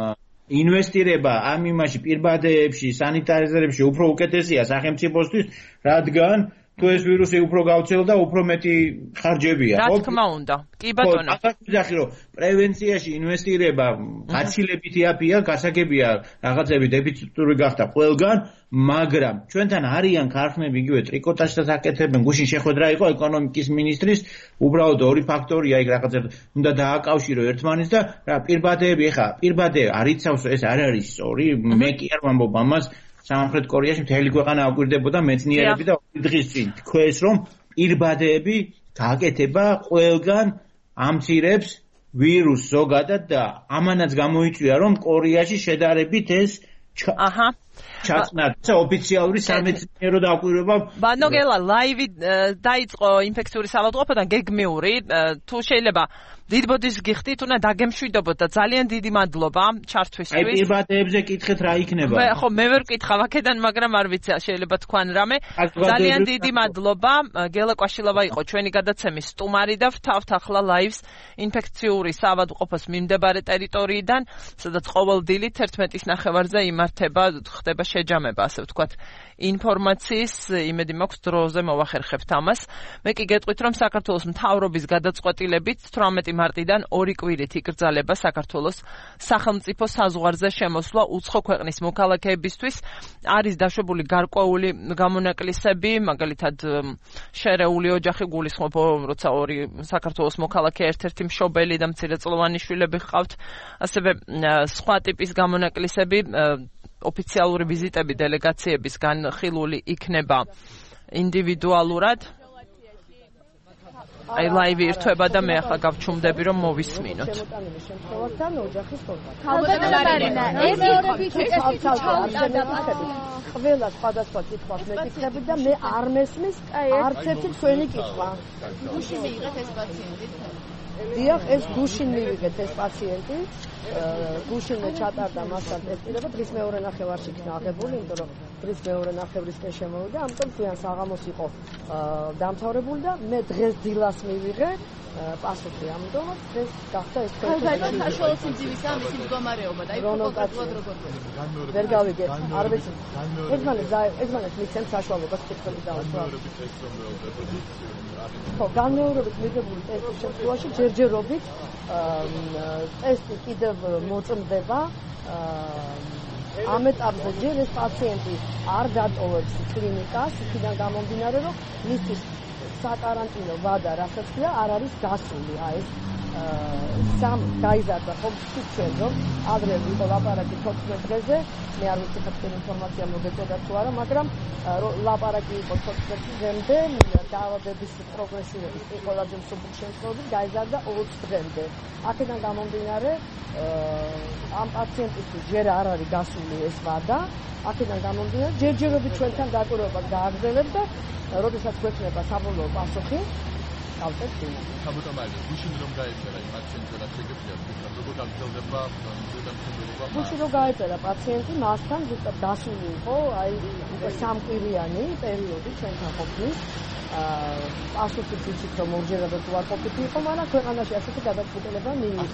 ინვესტირება ამ იმაში პირბადეებში სანიტარიზერებში უფრო უკეთესია სახელმწიფოსთვის რადგან თუ ეს ვირუსი უფრო გავრცელდა უფრო მეტი ხარჯებია რა თქმა უნდა კი ბატონო ახლა რომ პრევენციაში ინვესტირება გაცილებითი აფია გასაგებია რაღაცები დეფიციტური გახდა ყველგან მაგრამ ჩვენთან არიან ქარხნები იგივე ტრიკოტაჟსაც აკეთებენ გუშინ შეხვედრა იყო ეკონომიკის მინისტრის უბრალოდ ორი ფაქტორია იქ რაღაცა უნდა დააკავშირო ერთმანეთს და რა პირბადეები ეხა პირბადე არიცავს ეს არ არის სწორი მე კი არ ვამბობ ამას სამხრეთ კორეაში მთელი ქვეყანა აკვირდებოდა მეცნიერები და ორი დღის წინ თქვეს რომ პირბადეები გააკეთება ყველგან ამცირებს ვირუსს ზოგადად და ამანაც გამოიწვია რომ კორეაში შედარებით ეს აჰა ჩაწნადა ოფიციალური სამეცნიერო დაკვირვება ბანოგელა ლაივი დაიწყო ინფექციური საავადმყოფოდან გეგმიური თუ შეიძლება დიდ ბოდის გიხდით უნდა დაგემშვიდობოთ და ძალიან დიდი მადლობა ჩართვისთვის აი პირბადეებზე კითხეთ რა იქნება მე ხო მე ვერ ვკითხავ აქედან მაგრამ არ ვიცი შეიძლება თქვან რამე ძალიან დიდი მადლობა გელა კვაშილავა იყო ჩვენი გადაცემის სტუმარი და ვთავთ ახლა ლაივს ინფექციური საავადმყოფოს მიმდებარე ტერიტორიიდან სადაც ყოველ დილით ერთმეტის ნახევარზე იმართება ხდება შეჯამება ასე ვთქვათ ინფორმაციის იმედი მაქვს დროზე მოვახერხებთ ამას მე კი გეტყვით რომ საქართველოს მთავრობის გადაწყვეტილებით თვრამეტი მარტიდან ორი კვირით იკრძალება საქართველოს სახელმწიფო საზღვარზე შემოსვლა უცხო ქვეყნის მოქალაქეებისთვის არის დაშვებული გარკვეული გამონაკლისები მაგალითად შერეული ოჯახი გულისხმობ როცა ორი საქართველოს მოქალაქე ერთ-ერთი მშობელი და მცირეწლოვანი შვილები ჰყავთ ასევე სხვა ტიპის გამონაკლისები ოფიციალური ვიზიტები დელეგაციების განხილული იქნება ინდივიდუალურად აი ლაივი ირთვება და მე ახლა გავჩუმდები რომ მოვისმინოთ. ეს მეორებით ყველა სხვადასხვა კითხვას მეკითხები და მე არ მესმის არც ერთი თქვენი კითხვა. გუშინ მიიღეთ ეს პაციენტი? დიახ, ეს გუშინ მივიღეთ ეს პაციენტი. გუშინ ჩატარდა მასთან ტესტირება, დღის მეორე ნახევარში იქნა აღებული, იმიტომ რომ დღის მეორე ნახევრისკენ შემოვიდა, ამიტომ გვიან საღამოს იყო დამთავრებული და მე დღეს დილას მივიღე პასუხი, ამიტომ დღეს გახდა ეს თქვენ საშუალო სიმძიმისა მისი მდგომარეობა და აი კონკრეტულად როგორ გვექნება. ვერ გავიგე, არ ვიცი. ერთმანეთს ერთმანეთს მიცემ საშუალებას კითხვები დავასვა. ხო, განმეორებით მიღებული ტესტის შემთხვევაში ჯერჯერობით ტესტი კიდევ მოწმდება ამ ეტაპზე ჯერ ეს პაციენტი არ დატოვებს კლინიკას, იქიდან გამომდინარე, რომ მისთვის საკარანტინო ვადა, რასაც ქვია, არ არის გასული. აი ეს სამ გაიზარდა ხომ ჩვენ რომ ადრე იყო ლაპარაკი თოთხმეტ დღეზე, მე არ ვიცი თქვენ ინფორმაცია მოგეწოდა თუ არა, მაგრამ ლაპარაკი იყო თოთხმეტ დღემდე, დაავადების პროგრესირების ყველაზე მსუბუქ შემთხვევაში გაიზარდა ოც დღემდე. აქედან გამომდინარე, ამ პაციენტისთვის ჯერ არ არის გასული ეს ვადა, აქედან გამომდინარე, ჯერჯერობით ჩვენთან დაკვირვებას გააგრძელებთ და როდესაც გვექნება საბოლოო პასუხი, გავწევთ დილით. საბუთამაიზე, გუშინ რომ გაეწერა იმ პაციენტს და შეგეძლია, როგორ გაგრძელდება ზედამხედველობა? გუშინ რომ გაეწერა პაციენტი, მასთან ზუსტად დასული იყო, აი სამკვირიანი პერიოდი ჩვენთან ყოფნის. პასუხი ვიცით რომ ორჯერადად უარყოფით იყო, მაგრამ ქვეყანაში ასეთი გადაწყვეტილება მიიღეს,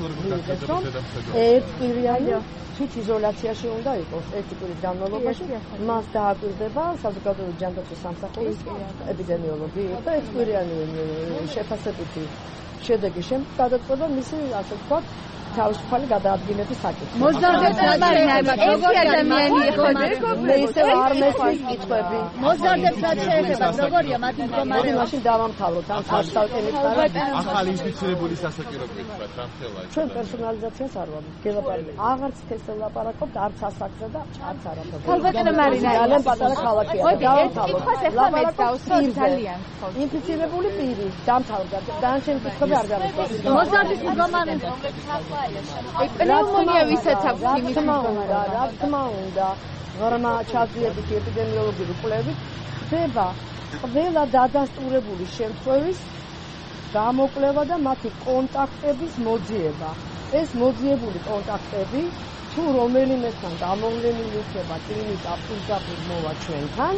რომ ერთკვირიანი თვით იზოლაციაში უნდა იყოს ერთი კვირის განმავლობაში, მას დააკვირდება საზოგადოებრივი ჯანდაცვის სამსახურის ეპიდემიოლოგი და ერთკვირიანი შეფასებითი შედეგი შემდეგ გადაწყვეტა მისი ასე ვთქვათ თავისუფალი გადაადგილების საკითხი. მოზარდებს როგორი ადამიანი იყო მე ისე არ მესმის კითხვები. მოზარდებს რაც შეეხება როგორია მათი მდგომარეობა? მაშინ დავამთავროთ ამ საწავკე მითხარით. ახალი ინფიცირებული სასაკირო გითხრათ რა მთელა. ჩვენ პერსონალიზაციას არ ვამბობთ. გელაპარაკობთ აღარც ქესელ ლაპარაკობთ, არც ასაკზე და არც არაფერზე. ქალბატონო მარინა, ძალიან პატარა ქალაქია. დავამთავროთ. კითხვას ახლა მე დავსვი ძალიან. ინფიცირებული პირი დამთავრდა. დანარჩენი კითხვები არ გავიგებთ. მოზარდის მდგომარეობა რომლებიც ახლა პნევმონია ვისაც აქვს იმის თქმა რა თქმა უნდა ღრმა ჩაძლებითი ეპიდემიოლოგიური კვლევით ხდება ყველა დადასტურებული შემთხვევის გამოკვლევა და მათი კონტაქტების მოძიება. ეს მოძიებული კონტაქტები თუ რომელიმესთან გამოვლენილი იქნება კლინიკა პირდაპირ მოვა ჩვენთან,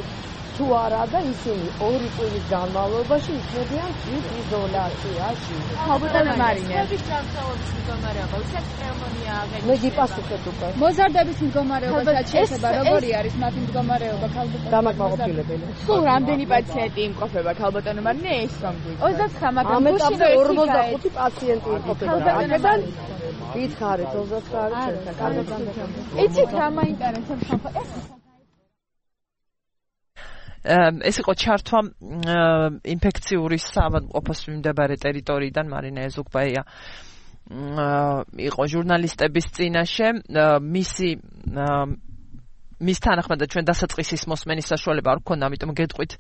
თუ არა და ისინი ორი წლის განმავლობაში იქნებიან თვითიზოლაციაში. ხალბატონო მარინე, ეს ჯანმრთელობის მდგომარეობა, ვისაც პნევმონია აღება. მე გიპასუხეთ უკვე. მოზარდების მდგომარეობასაც შეეხება, როგორი არის მათი მდგომარეობა ხალბატონო? დამაკმაყოფილებელი. სულ რამდენი პაციენტი იმყოფება ხალბატონო მარინე ეს რომ გვიქ? ოცდათხმ, მაგრამ ამეტავზე ორმოცდახუთი პაციენტი იმყოფება. აქედან ვითხარით ოცდათხმ შევქართ. იცით რა მაინტერესებს ხალხო? ეს ეს იყო ჩართვა ინფექციური საავადმყოფოს მიმდებარე ტერიტორიიდან მარინა ეზუგბაია იყო ჟურნალისტების წინაშე მისი მის თანახმადაც ჩვენ დასაწყისის მოსმენის საშუალება არ გქონდა, ამიტომ გეტყვით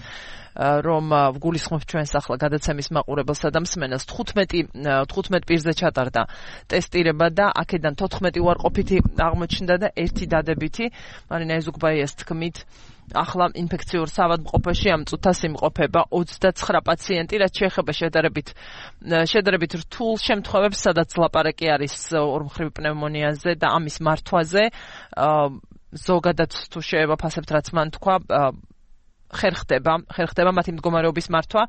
რომ ვგულისხმობ ჩვენს ახლა გადაცემის მაყურებელსა და მსმენელს თხუთმეტ პირზე ჩატარდა ტესტირება და აქედან თოთხმეტი უარყოფითი აღმოჩნდა და ერთი დადებითი. მარინა ეზუგბაიას თქმით ახლა ინფექციურ საავადმყოფოში ამ წუთას იმყოფება ოცდაცხრა პაციენტი, რაც შეეხება შედარებით შედარებით რთულ შემთხვევებს, სადაც ლაპარაკი არის ორმხრივ პნევმონიაზე და ამის მართვაზე. ზოგადად თუ შევაფასებთ, რაც მან თქვა, ხერხდება, ხერხდება მათი მდგომარეობის მართვა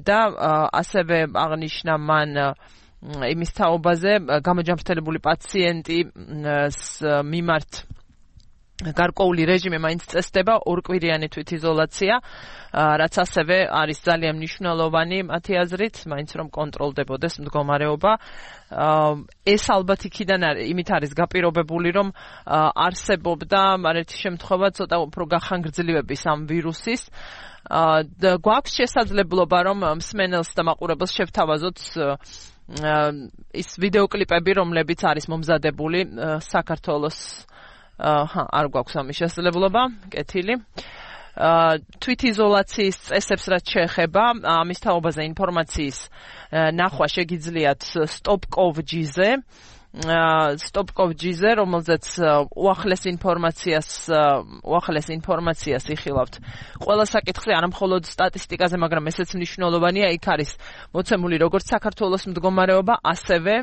და ასევე აღნიშნა მან იმის თაობაზე გამოჯამრთელებული პაციენტის მიმართ გარკვეული რეჟიმი მაინც წესდება, ორკვირიანი თვითიზოლაცია, რაც ასევე არის ძალიან მნიშვნელოვანი მათი აზრით, მაინც რომ კონტროლდებოდეს მდგომარეობა. ეს ალბათ იქიდან იმით არის გაპირობებული, რომ არსებობდა ერთი შემთხვევა ცოტა უფრო გახანგრძლივების ამ ვირუსის. გვაქვს შესაძლებლობა, რომ მსმენელს და მაყურებელს შევთავაზოთ ის ვიდეოკლიპები, რომლებიც არის მომზადებული საქართველოს არ გვაქვს ამის შესაძლებლობა, კეთილი. თვითიზოლაციის წესებს რაც შეეხება, ამის თაობაზე ინფორმაციის ნახვა შეგიძლიათ stop.gov.gz-ზე, stop.gov.gz-ზე, რომელზეც უახლეს ინფორმაციას, უახლეს ინფორმაციას იხილავთ. ყველა საკითხზე, არა მხოლოდ სტატისტიკაზე, მაგრამ ესეც მნიშვნელოვანია, იქ არის მოცემული როგორც საქართველოს მდგომარეობა, ასევე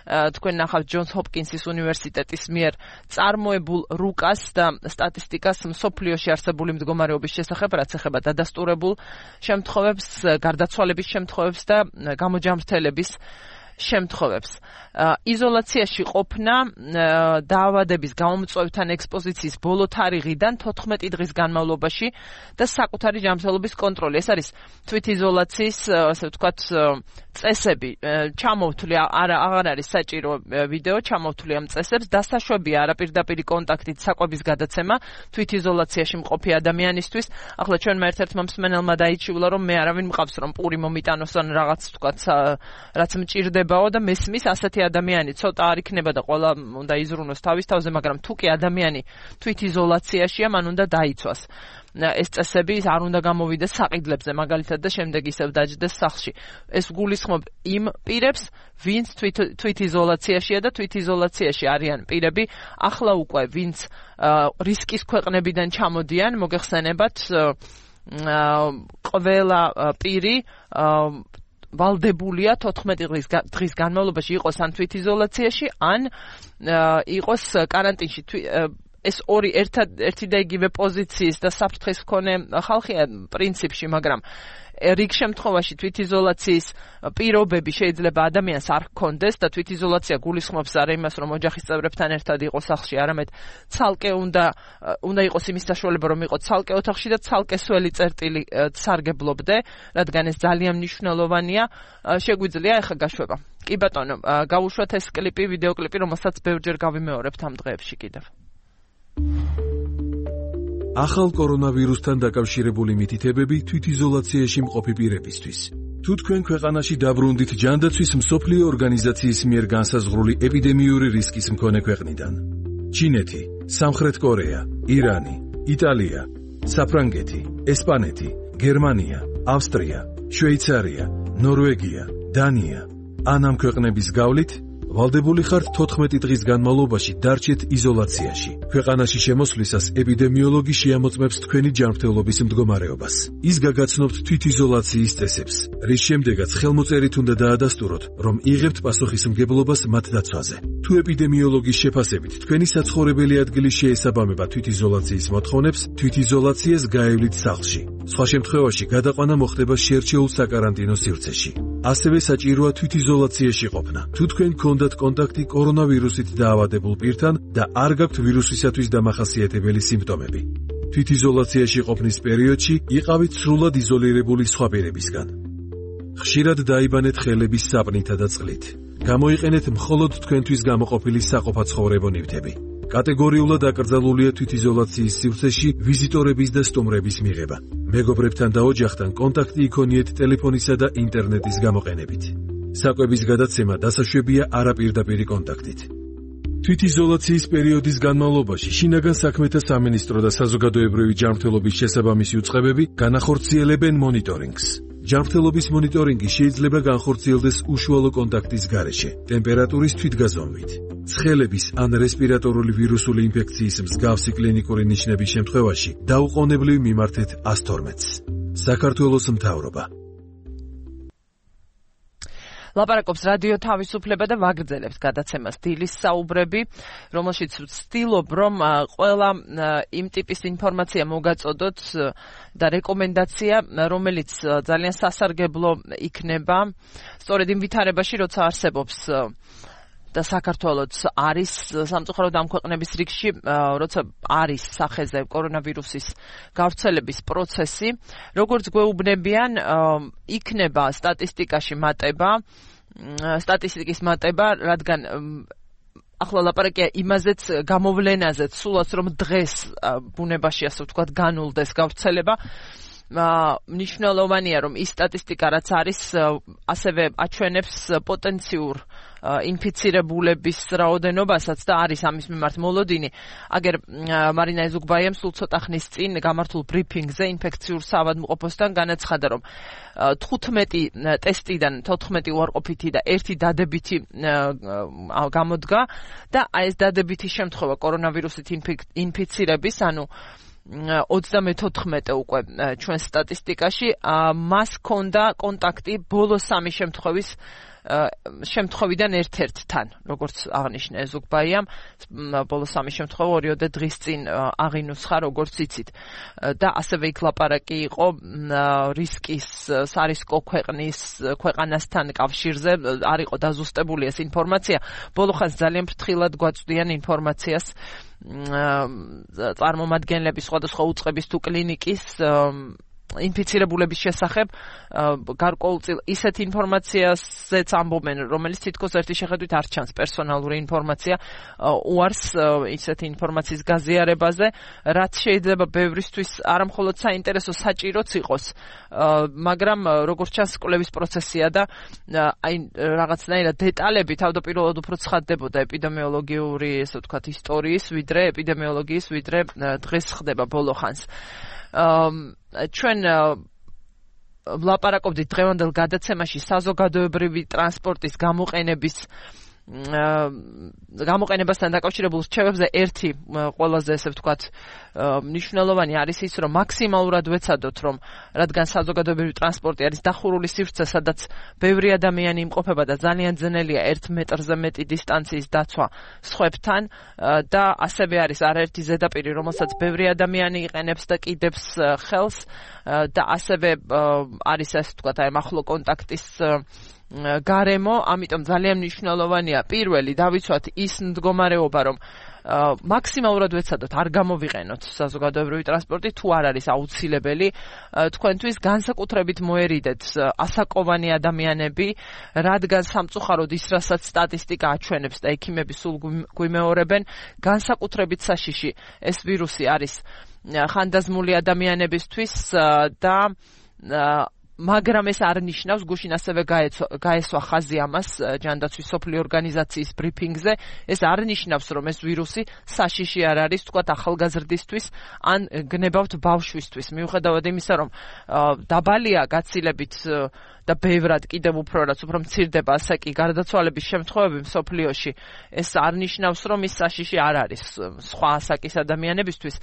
თქვენ ნახავთ ჯონს ჰოპკინსის უნივერსიტეტის მიერ წარმოებულ რუკას და სტატისტიკას მსოფლიოში არსებული მდგომარეობის შესახებ, რაც ეხება დადასტურებულ შემთხვევებს, გარდაცვალების შემთხვევებს და გამოჯამრთელების შემთხვევებს. იზოლაციაში ყოფნა დაავადების გამომწვევთან ექსპოზიციის ბოლო თარიღიდან თოთხმეტი დღის განმავლობაში და საკუთარი ჯანმრთელობის კონტროლი. ეს არის თვითიზოლაციის, ასე ვთქვათ, წესები. ჩამოვთვლი არა აღარ არის საჭირო ვიდეო, ჩამოვთვლი ამ წესებს, დასაშვებია არაპირდაპირი კონტაქტით საკვების გადაცემა თვითიზოლაციაში მყოფი ადამიანისთვის. ახლა ჩვენმა ერთ-ერთმა მსმენელმა დაიჩიულა, რომ მე არავინ მყავს, რომ პური მომიტანოს ან რაღაც ვთქვათ, რაც მჭირდებაო და მესმის ასეთი ადამიანი ცოტა არ იქნება და ყველა უნდა იზრუნოს თავის თავზე, მაგრამ თუ კი ადამიანი თვითიზოლაციაშია, მან უნდა დაიცვას. ეს წესები არ უნდა გამოვიდეს საყიდლებზე, მაგალითად და შემდეგ ისევ დაჯდეს სახლში. ეს გულისხმობ იმ პირებს, ვინც თვითიზოლაციაშია და თვითიზოლაციაში არიან პირები, ახლა უკვე ვინც რისკის ქვეყნებიდან ჩამოდიან, მოგეხსენებათ, ყველა პირი ვალდებულია თოთხმეტი დღის განმავლობაში იყოს ან თვითიზოლაციაში, ან იყოს კარანტინში. ეს ორი ერთი და იგივე პოზიციის და საფრთხის მქონე ხალხია პრინციპში, მაგრამ რიგ შემთხვევაში თვითიზოლაციის პირობები შეიძლება ადამიანს არ ჰქონდეს და თვითიზოლაცია გულისხმობს არა იმას, რომ ოჯახის წევრებთან ერთად იყოს სახლში, არამედ ცალკე უნდა უნდა იყოს იმის საშუალება, რომ იყოს ცალკე ოთახში და ცალკე სველი წერტილი სარგებლობდე, რადგან ეს ძალიან მნიშვნელოვანია. შეგვიძლია ახლა გაშვება. კი ბატონო, გავუშვათ ეს კლიპი, ვიდეოკლიპი, რომელსაც ბევრჯერ გავიმეორებთ ამ დღეებში კიდევ. ახალ კორონავირუსთან დაკავშირებული მითითებები თვითიზოლაციაში მყოფი პირებისთვის. თუ თქვენ ქვეყანაში დაბრუნდით ჯანდაცვის მსოფლიო ორგანიზაციის მიერ განსაზღვრული ეპიდემიური რისკის მქონე ქვეყნიდან. ჩინეთი, სამხრეთ კორეა, ირანი, იტალია, საფრანგეთი, ესპანეთი, გერმანია, ავსტრია, შვეიცარია, ნორვეგია, დანია. ან ამ ქვეყნების გავლით ვალდებული ხართ თოთხმეტი დღის განმავლობაში დარჩეთ იზოლაციაში. ქვეყანაში შემოსვლისას ეპიდემიოლოგი შეამოწმებს თქვენი ჯანმრთელობის მდგომარეობას. ის გაგაცნობთ თვითიზოლაციის წესებს, რის შემდეგაც ხელმოწერით უნდა დაადასტუროთ, რომ იღებთ პასუხისმგებლობას მათ დაცვაზე. თუ ეპიდემიოლოგის შეფასებით თქვენი საცხოვრებელი ადგილი შეესაბამება თვითიზოლაციის მოთხოვნებს, თვითიზოლაციას გაევლით სახლში. სხვა შემთხვევაში გადაყვანა მოხდება შერჩეულ საკარანტინო სივრცეში. ასევე საჭიროა თვითიზოლაციაში ყოფნა. თუ თქვენ გქონდათ კონტაქტი კორონავირუსით დაავადებულ პირთან და არ გაქვთ ვირუსისათვის დამახასიათებელი სიმპტომები. თვითიზოლაციაში ყოფნის პერიოდში იყავით სრულად იზოლირებული სხვა პირებისგან. ხშირად დაიბანეთ ხელების საპნითა და წყლით. გამოიყენეთ მხოლოდ თქვენთვის გამოყოფილი საყოფაცხოვრებო ნივთები. კატეგორიულად აკრძალულია თვითიზოლაციის სივრცეში ვიზიტორების და სტუმრების მიღება. მეგობრებთან და ოჯახთან კონტაქტი იქონიეთ ტელეფონისა და ინტერნეტის გამოყენებით. საკვების გადაცემა დასაშვებია არაპირდაპირი კონტაქტით. თვითიზოლაციის პერიოდის განმავლობაში შინაგან საქმეთა სამინისტრო და საზოგადოებრივი ჯანმრთელობის შესაბამისი უწყებები განახორციელებენ მონიტორინგს. ჯანმრთელობის მონიტორინგი შეიძლება განხორციელდეს უშუალო კონტაქტის გარეშე, ტემპერატურის თვითგაზომვით. ცხელების ან რესპირატორული ვირუსული ინფექციის მსგავსი კლინიკური ნიშნების შემთხვევაში დაუყოვნებლივ მიმართეთ ას თორმეტს. საქართველოს მთავრობა. ლაპარაკობს რადიო თავისუფლება და ვაგრძელებს გადაცემას დილის საუბრები, რომელშიც ვცდილობ, რომ ყველა იმ ტიპის ინფორმაცია მოგაწოდოთ და რეკომენდაცია, რომელიც ძალიან სასარგებლო იქნება, სწორედ იმ ვითარებაში, როცა არსებობს და საქართველოც არის სამწუხაროდ ამ ქვეყნების რიგში, როცა არის სახეზე კორონავირუსის გავრცელების პროცესი, როგორც გვეუბნებიან, იქნება სტატისტიკაში მატება, სტატისტიკის მატება, რადგან ახლა ლაპარაკია იმაზეც გამოვლენაზეც, სულაც რომ დღეს ბუნებაში ასე ვთქვათ განულდეს გავრცელება. მნიშვნელოვანია, რომ ის სტატისტიკა რაც არის, ასევე აჩვენებს პოტენციურ ინფიცირებულების რაოდენობასაც და არის ამის მიმართ მოლოდინი. აგერ მარინა ეზუგბაიამ სულ ცოტა ხნის წინ გამართულ ბრიფინგზე ინფექციურ საავადმყოფოსთან განაცხადა, რომ თხუთმეტი ტესტიდან თოთხმეტი უარყოფითი და ერთი დადებითი გამოდგა და ეს დადებითი შემთხვევა კორონავირუსით ინფიცირების, ანუ ოცდამეთოთხმეტე უკვე ჩვენ სტატისტიკაში, მას ჰქონდა კონტაქტი ბოლო სამი შემთხვევის შემთხვევიდან ერთ-ერთთან, როგორც აღნიშნა ეზუგბაიამ, ბოლო სამი შემთხვევა ორიოდე დღის წინ აღინუსხა, როგორც იცით. და ასევე იქ ლაპარაკი იყო რისკის სარისკო ქვეყნის ქვეყანასთან კავშირზე, არ იყო დაზუსტებული ეს ინფორმაცია. ბოლო ხანს ძალიან ფრთხილად გვაწვდიან ინფორმაციას წარმომადგენლების სხვადასხვა უწყების თუ კლინიკის ინფიცირებულების შესახებ, გარკვეულწილ ისეთ ინფორმაციაზეც ამბობენ, რომელიც თითქოს ერთი შეხედვით არ ჩანს პერსონალური ინფორმაცია, უარს ისეთი ინფორმაციის გაზიარებაზე, რაც შეიძლება ბევრისთვის არამხოლოდ საინტერესო, საჭიროც იყოს, მაგრამ როგორც ჩანს კვლევის პროცესია და აი რაღაცნაირად დეტალები თავდაპირველად უფრო ცხადდებოდა ეპიდემიოლოგიური, ესე ვთქვათ, ისტორიის, ვიდრე ეპიდემიოლოგიის, ვიდრე დღეს ხდება ბოლო ხანს. ჩვენ ვლაპარაკობდით დღევანდელ გადაცემაში საზოგადოებრივი ტრანსპორტის გამოყენების გამოყენებასთან დაკავშირებულ რჩევებზე. ერთი ყველაზე ესე ვთქვათ მნიშვნელოვანი არის ის, რომ მაქსიმალურად ვეცადოთ, რომ რადგან საზოგადოებრივი ტრანსპორტი არის დახურული სივრცე, სადაც ბევრი ადამიანი იმყოფება და ძალიან ძნელია ერთ მეტრზე მეტი დისტანციის დაცვა სხვებთან და ასევე არის არაერთი ზედაპირი, რომელსაც ბევრი ადამიანი იყენებს და კიდებს ხელს და ასევე არის ასე ვთქვათ აი ახლო კონტაქტის გარემო, ამიტომ ძალიან მნიშვნელოვანია პირველი დავიცვათ ის მდგომარეობა, რომ მაქსიმალურად ვეცადოთ არ გამოვიყენოთ საზოგადოებრივი ტრანსპორტი, თუ არ არის აუცილებელი, თქვენთვის განსაკუთრებით მოერიდეთ ასაკოვანი ადამიანები, რადგან სამწუხაროდ ის რასაც სტატისტიკა აჩვენებს და ექიმები სულ გვიმეორებენ, განსაკუთრებით საშიში ეს ვირუსი არის ხანდაზმული ადამიანებისთვის და მაგრამ ეს არ ნიშნავს, გუშინ ასევე გაესვა ხაზი ამას ჯანდაცვის სოფლიო ორგანიზაციის ბრიფინგზე, ეს არ ნიშნავს, რომ ეს ვირუსი საშიში არ არის, თქვათ ახალგაზრდისთვის ან გნებავთ ბავშვისთვის. მიუხედავად იმისა, რომ დაბალია გაცილებით და ბევრად კიდევ უფრო რაც უფრო მცირდება, ასე კი გარდაცვალების შემთხვევები მსოფლიოში ეს არ ნიშნავს, რომ ის საშიში არ არის სხვა ასაკის ადამიანებისთვის.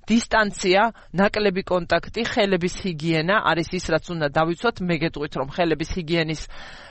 დისტანცია, ნაკლები კონტაქტი, ხელების ჰიგიენა არის ის, რაც უნდა დავიცვათ. მე გეტყვით, რომ ხელების ჰიგიენის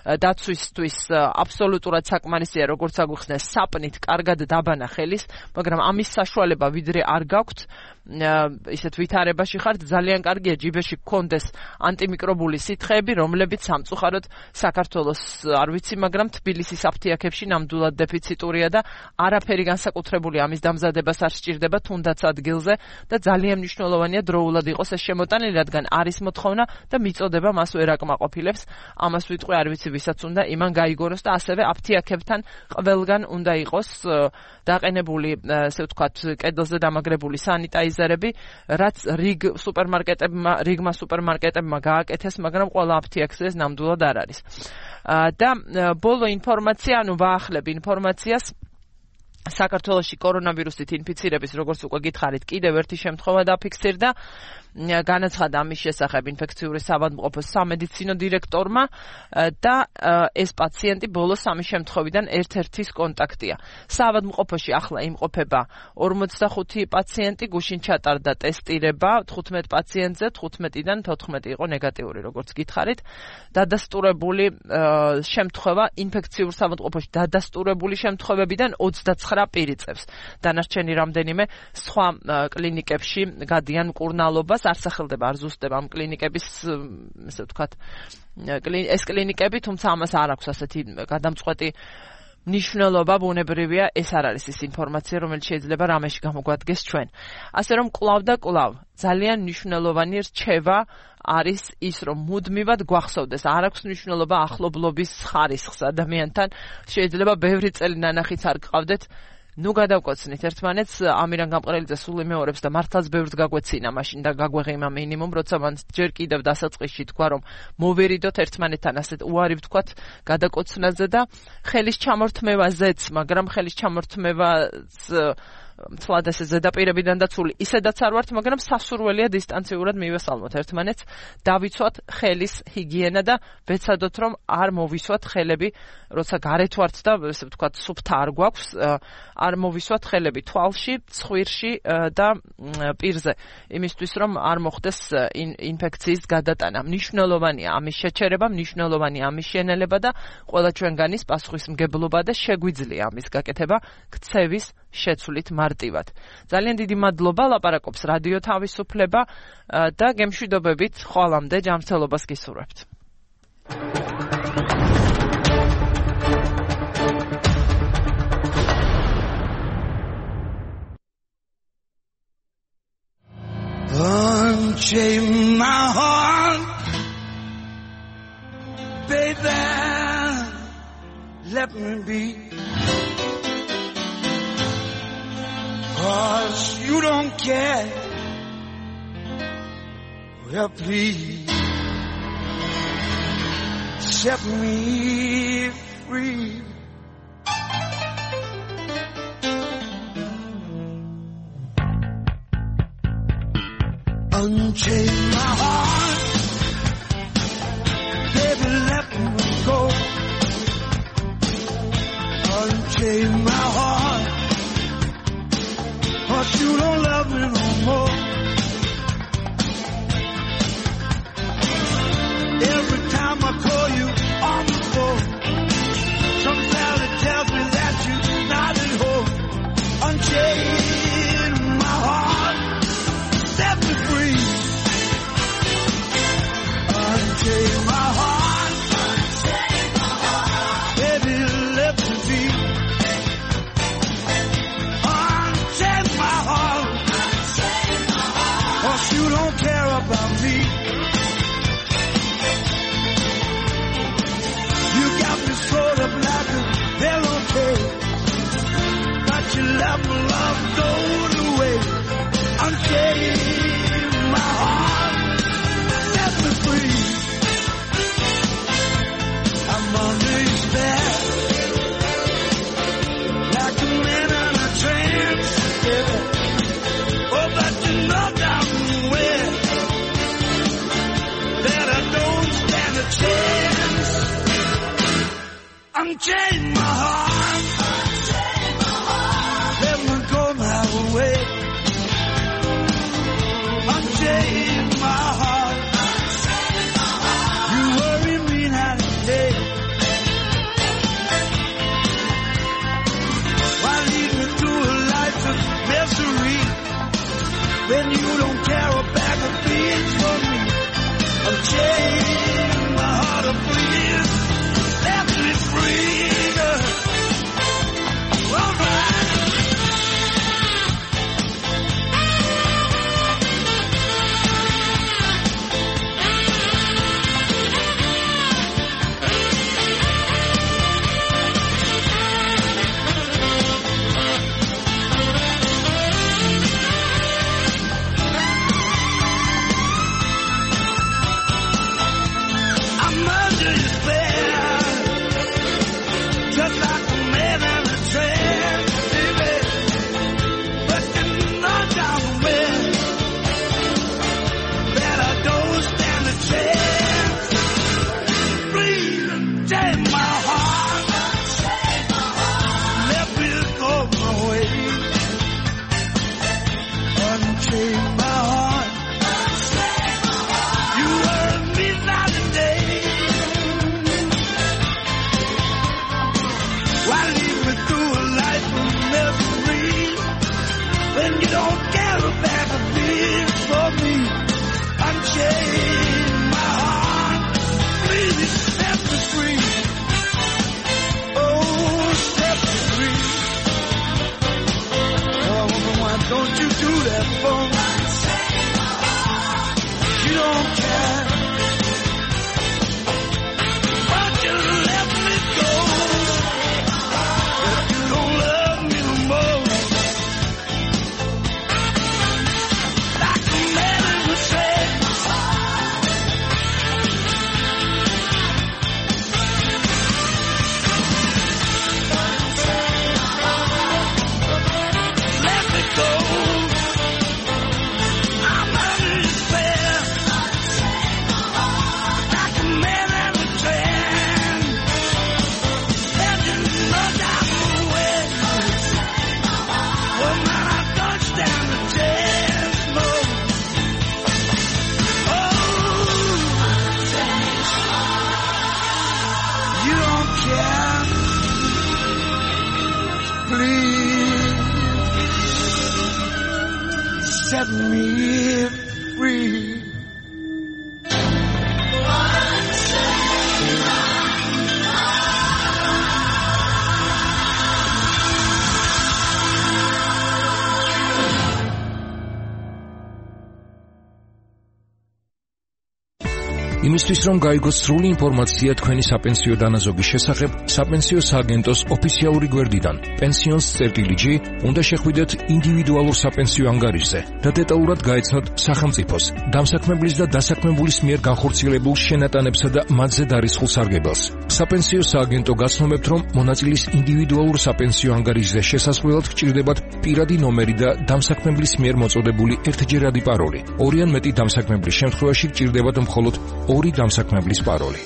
დაცვისთვის აბსოლუტურად საკმარისია, როგორც აგვიხსნეს, საპნით კარგად დაბანა ხელის, მაგრამ ამის საშუალება ვიდრე არ გაქვთ, ისეთ ვითარებაში ხართ, ძალიან კარგია ჯიბეში გქონდეს ანტიმიკრობული სითხეები, რომლებიც სამწუხაროდ საქართველოს არ ვიცი, მაგრამ თბილისის აფთიაქებში ნამდვილად დეფიციტურია და არაფერი განსაკუთრებული ამის დამზადებას არ სჭირდება, თუნდაც ადგილზე და ძალიან მნიშვნელოვანია დროულად იყოს ეს შემოტანილი, რადგან არის მოთხოვნა და მიწოდება მას ვერ აკმაყოფილებს. ამას ვიტყვი, არ ვიცი ვისაც უნდა იმან გაიგონოს და ასევე აფთიაქებთან ყველგან უნდა იყოს დაყენებული, ესე ვთქვათ, კედელზე დამაგრებული სანიტაიზერები, რაც რიგ სუპერმარკეტებმა, რიგმა სუპერმარკეტებმა გააკეთეს, მაგრამ ყველა აფთიაქზე ეს ნამდვილად არ არის. და ბოლო ინფორმაცია, ანუ ვაახლებ ინფორმაციას, საქართველოში კორონავირუსით ინფიცირების, როგორც უკვე გითხარით, კიდევ ერთი შემთხვევა დაფიქსირდა. განაცხადა ამის შესახებ ინფექციური საავადმყოფოს სამედიცინო დირექტორმა და ეს პაციენტი ბოლო სამი შემთხვევიდან ერთ-ერთის კონტაქტია. საავადმყოფოში ახლა იმყოფება ორმოცდახუთი პაციენტი, გუშინ ჩატარდა ტესტირება თხუთმეტ პაციენტზე, თხუთმეტიდან თოთხმეტი იყო ნეგატიური, როგორც გითხარით. დადასტურებული შემთხვევა ინფექციურ საავადმყოფოში დადასტურებული შემთხვევებიდან ოცდაცხრა პირი წევს. დანარჩენი რამდენიმე სხვა კლინიკებში გადიან მკურნალობას. არ სახელდება, არ ზუსტდება ამ კლინიკების, ესე ვთქვათ, ეს კლინიკები, თუმცა ამას არ აქვს ასეთი გადამწყვეტი მნიშვნელობა, ბუნებრივია, ეს არ არის ის ინფორმაცია, რომელიც შეიძლება რამეში გამოგვადგეს ჩვენ. ასე რომ კვლავ და კვლავ ძალიან მნიშვნელოვანი რჩევა არის ის, რომ მუდმივად გვახსოვდეს, არ აქვს მნიშვნელობა ახლობლობის ხარისხს ადამიანთან, შეიძლება ბევრი წელი ნანახიც არ გყავდეთ, ნუ გადავკოცნით ერთმანეთს, ამირან გამყრელიძე სულ იმეორებს და მართლაც ბევრს გაგვეცინა მაშინ და გაგვეღიმა მინიმუმ, როცა მან ჯერ კიდევ დასაწყისში თქვა, რომ მოვერიდოთ ერთმანეთთან ასეთ უარი ვთქვათ გადაკოცნაზე და ხელის ჩამორთმევაზეც, მაგრამ ხელის ჩამორთმევაც მთლად ესე ზედაპირებიდან დაცული ისედაც არ ვართ, მაგრამ სასურველია დისტანციურად მივესალმოთ ერთმანეთს, დავიცვათ ხელის ჰიგიენა და ვეცადოთ, რომ არ მოვისვათ ხელები, როცა გარეთ ვართ და ესე ვთქვათ, სუფთა არ გვაქვს, არ მოვისვათ ხელები თვალში, ცხვირში და პირზე, იმისთვის, რომ არ მოხდეს ინფექციის გადატანა. მნიშვნელოვანია ამის შეჩერება, მნიშვნელოვანია ამის შენელება და ყველა ჩვენგანის პასუხისმგებლობა და შეგვიძლია ამის გაკეთება ქცევის შეცვლით მარტივად. ძალიან დიდი მადლობა, ლაპარაკობს რადიო თავისუფლება და გემშვიდობებით ხვალამდე ჯანმრთელობას გისურვებთ. Unchain my heart, baby, let me be. Cause you don't care. Well, please set me free. Unchain my heart, baby, let me go. Unchain my heart, cause you don't love me no more. Every time I call you on the phone, some fella tells me that you're not at home. Unchain my heart, set me free. Unchain my heart, unchain my heart, baby, let me be. Unchain my heart, unchain my heart, cause you don't care about me. You got me sort of like a yellowtail, but you let my love go away. Unchain my heart, set me free. I'm under your spell, like a man in a trance, yeah. Oh, but you know damn well that I don't stand a chance. unchain my heart. Let me go my way. Unchain my heart. You worry me night and day. Why lead me to a life of misery when you don't care a bag of beans for me? Unchain my heart, oh please let me free. All right. Set me free. იმისთვის რომ გაიგოს სრული ინფორმაცია თქვენი საპენსიო დანაზოგის შესახებ, საპენსიო სააგენტოს ოფიციალური გვერდიდან pensions წერტილი ჯი უნდა შეხვიდეთ ინდივიდუალურ საპენსიო ანგარიშზე და დეტალურად გაეცნოთ სახელმწიფოს, დამსაქმებლის და დასაქმებულის მიერ განხორციელებულ შენატანებსა და მათზე დარისხულ სარგებელს. საპენსიო სააგენტო გაცნობებთ, რომ მონაწილის ინდივიდუალურ საპენსიო ანგარიშზე შესასვლელად გჭირდებათ პირადი ნომერი და დამსაქმებლის მიერ მოწოდებული ერთჯერადი პაროლი. ორი ან მეტი დამსაქმებლის შემთხვევაში გჭირდებათ მხოლოდ ორი დამსაქმებლის პაროლი.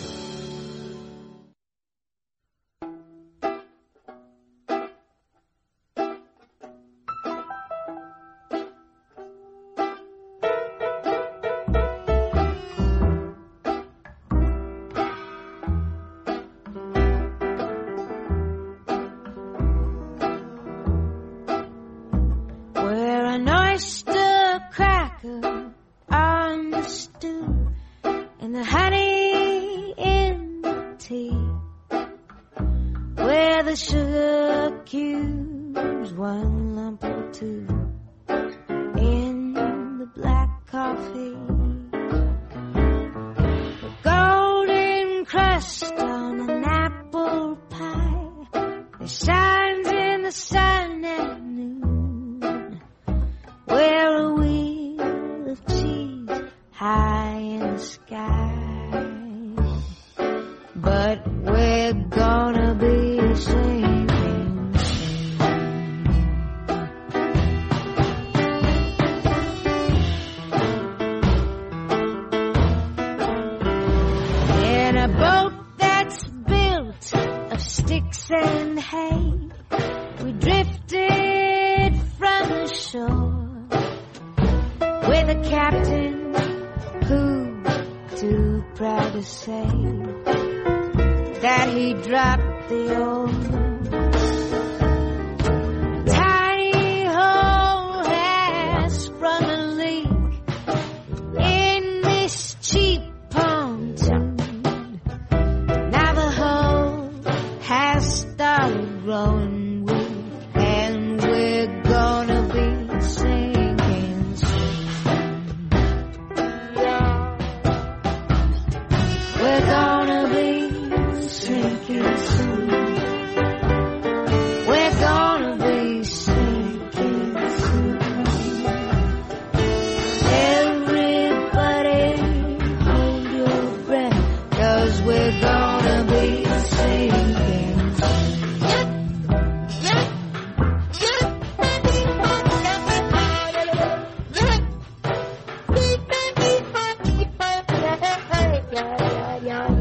In a boat that's built of steel. saying, hey, we drifted from the shore with a captain who too proud to say that he dropped the old tiny hole has sprung a leak in this cheap pontoon. Now the hole has started growing weak and we're gonna be sinking soon. We're gonna be sinking soon. We're gonna be sinking soon. Everybody hold your breath, 'cause we're gonna be sinking soon. Yeah, yeah, yeah.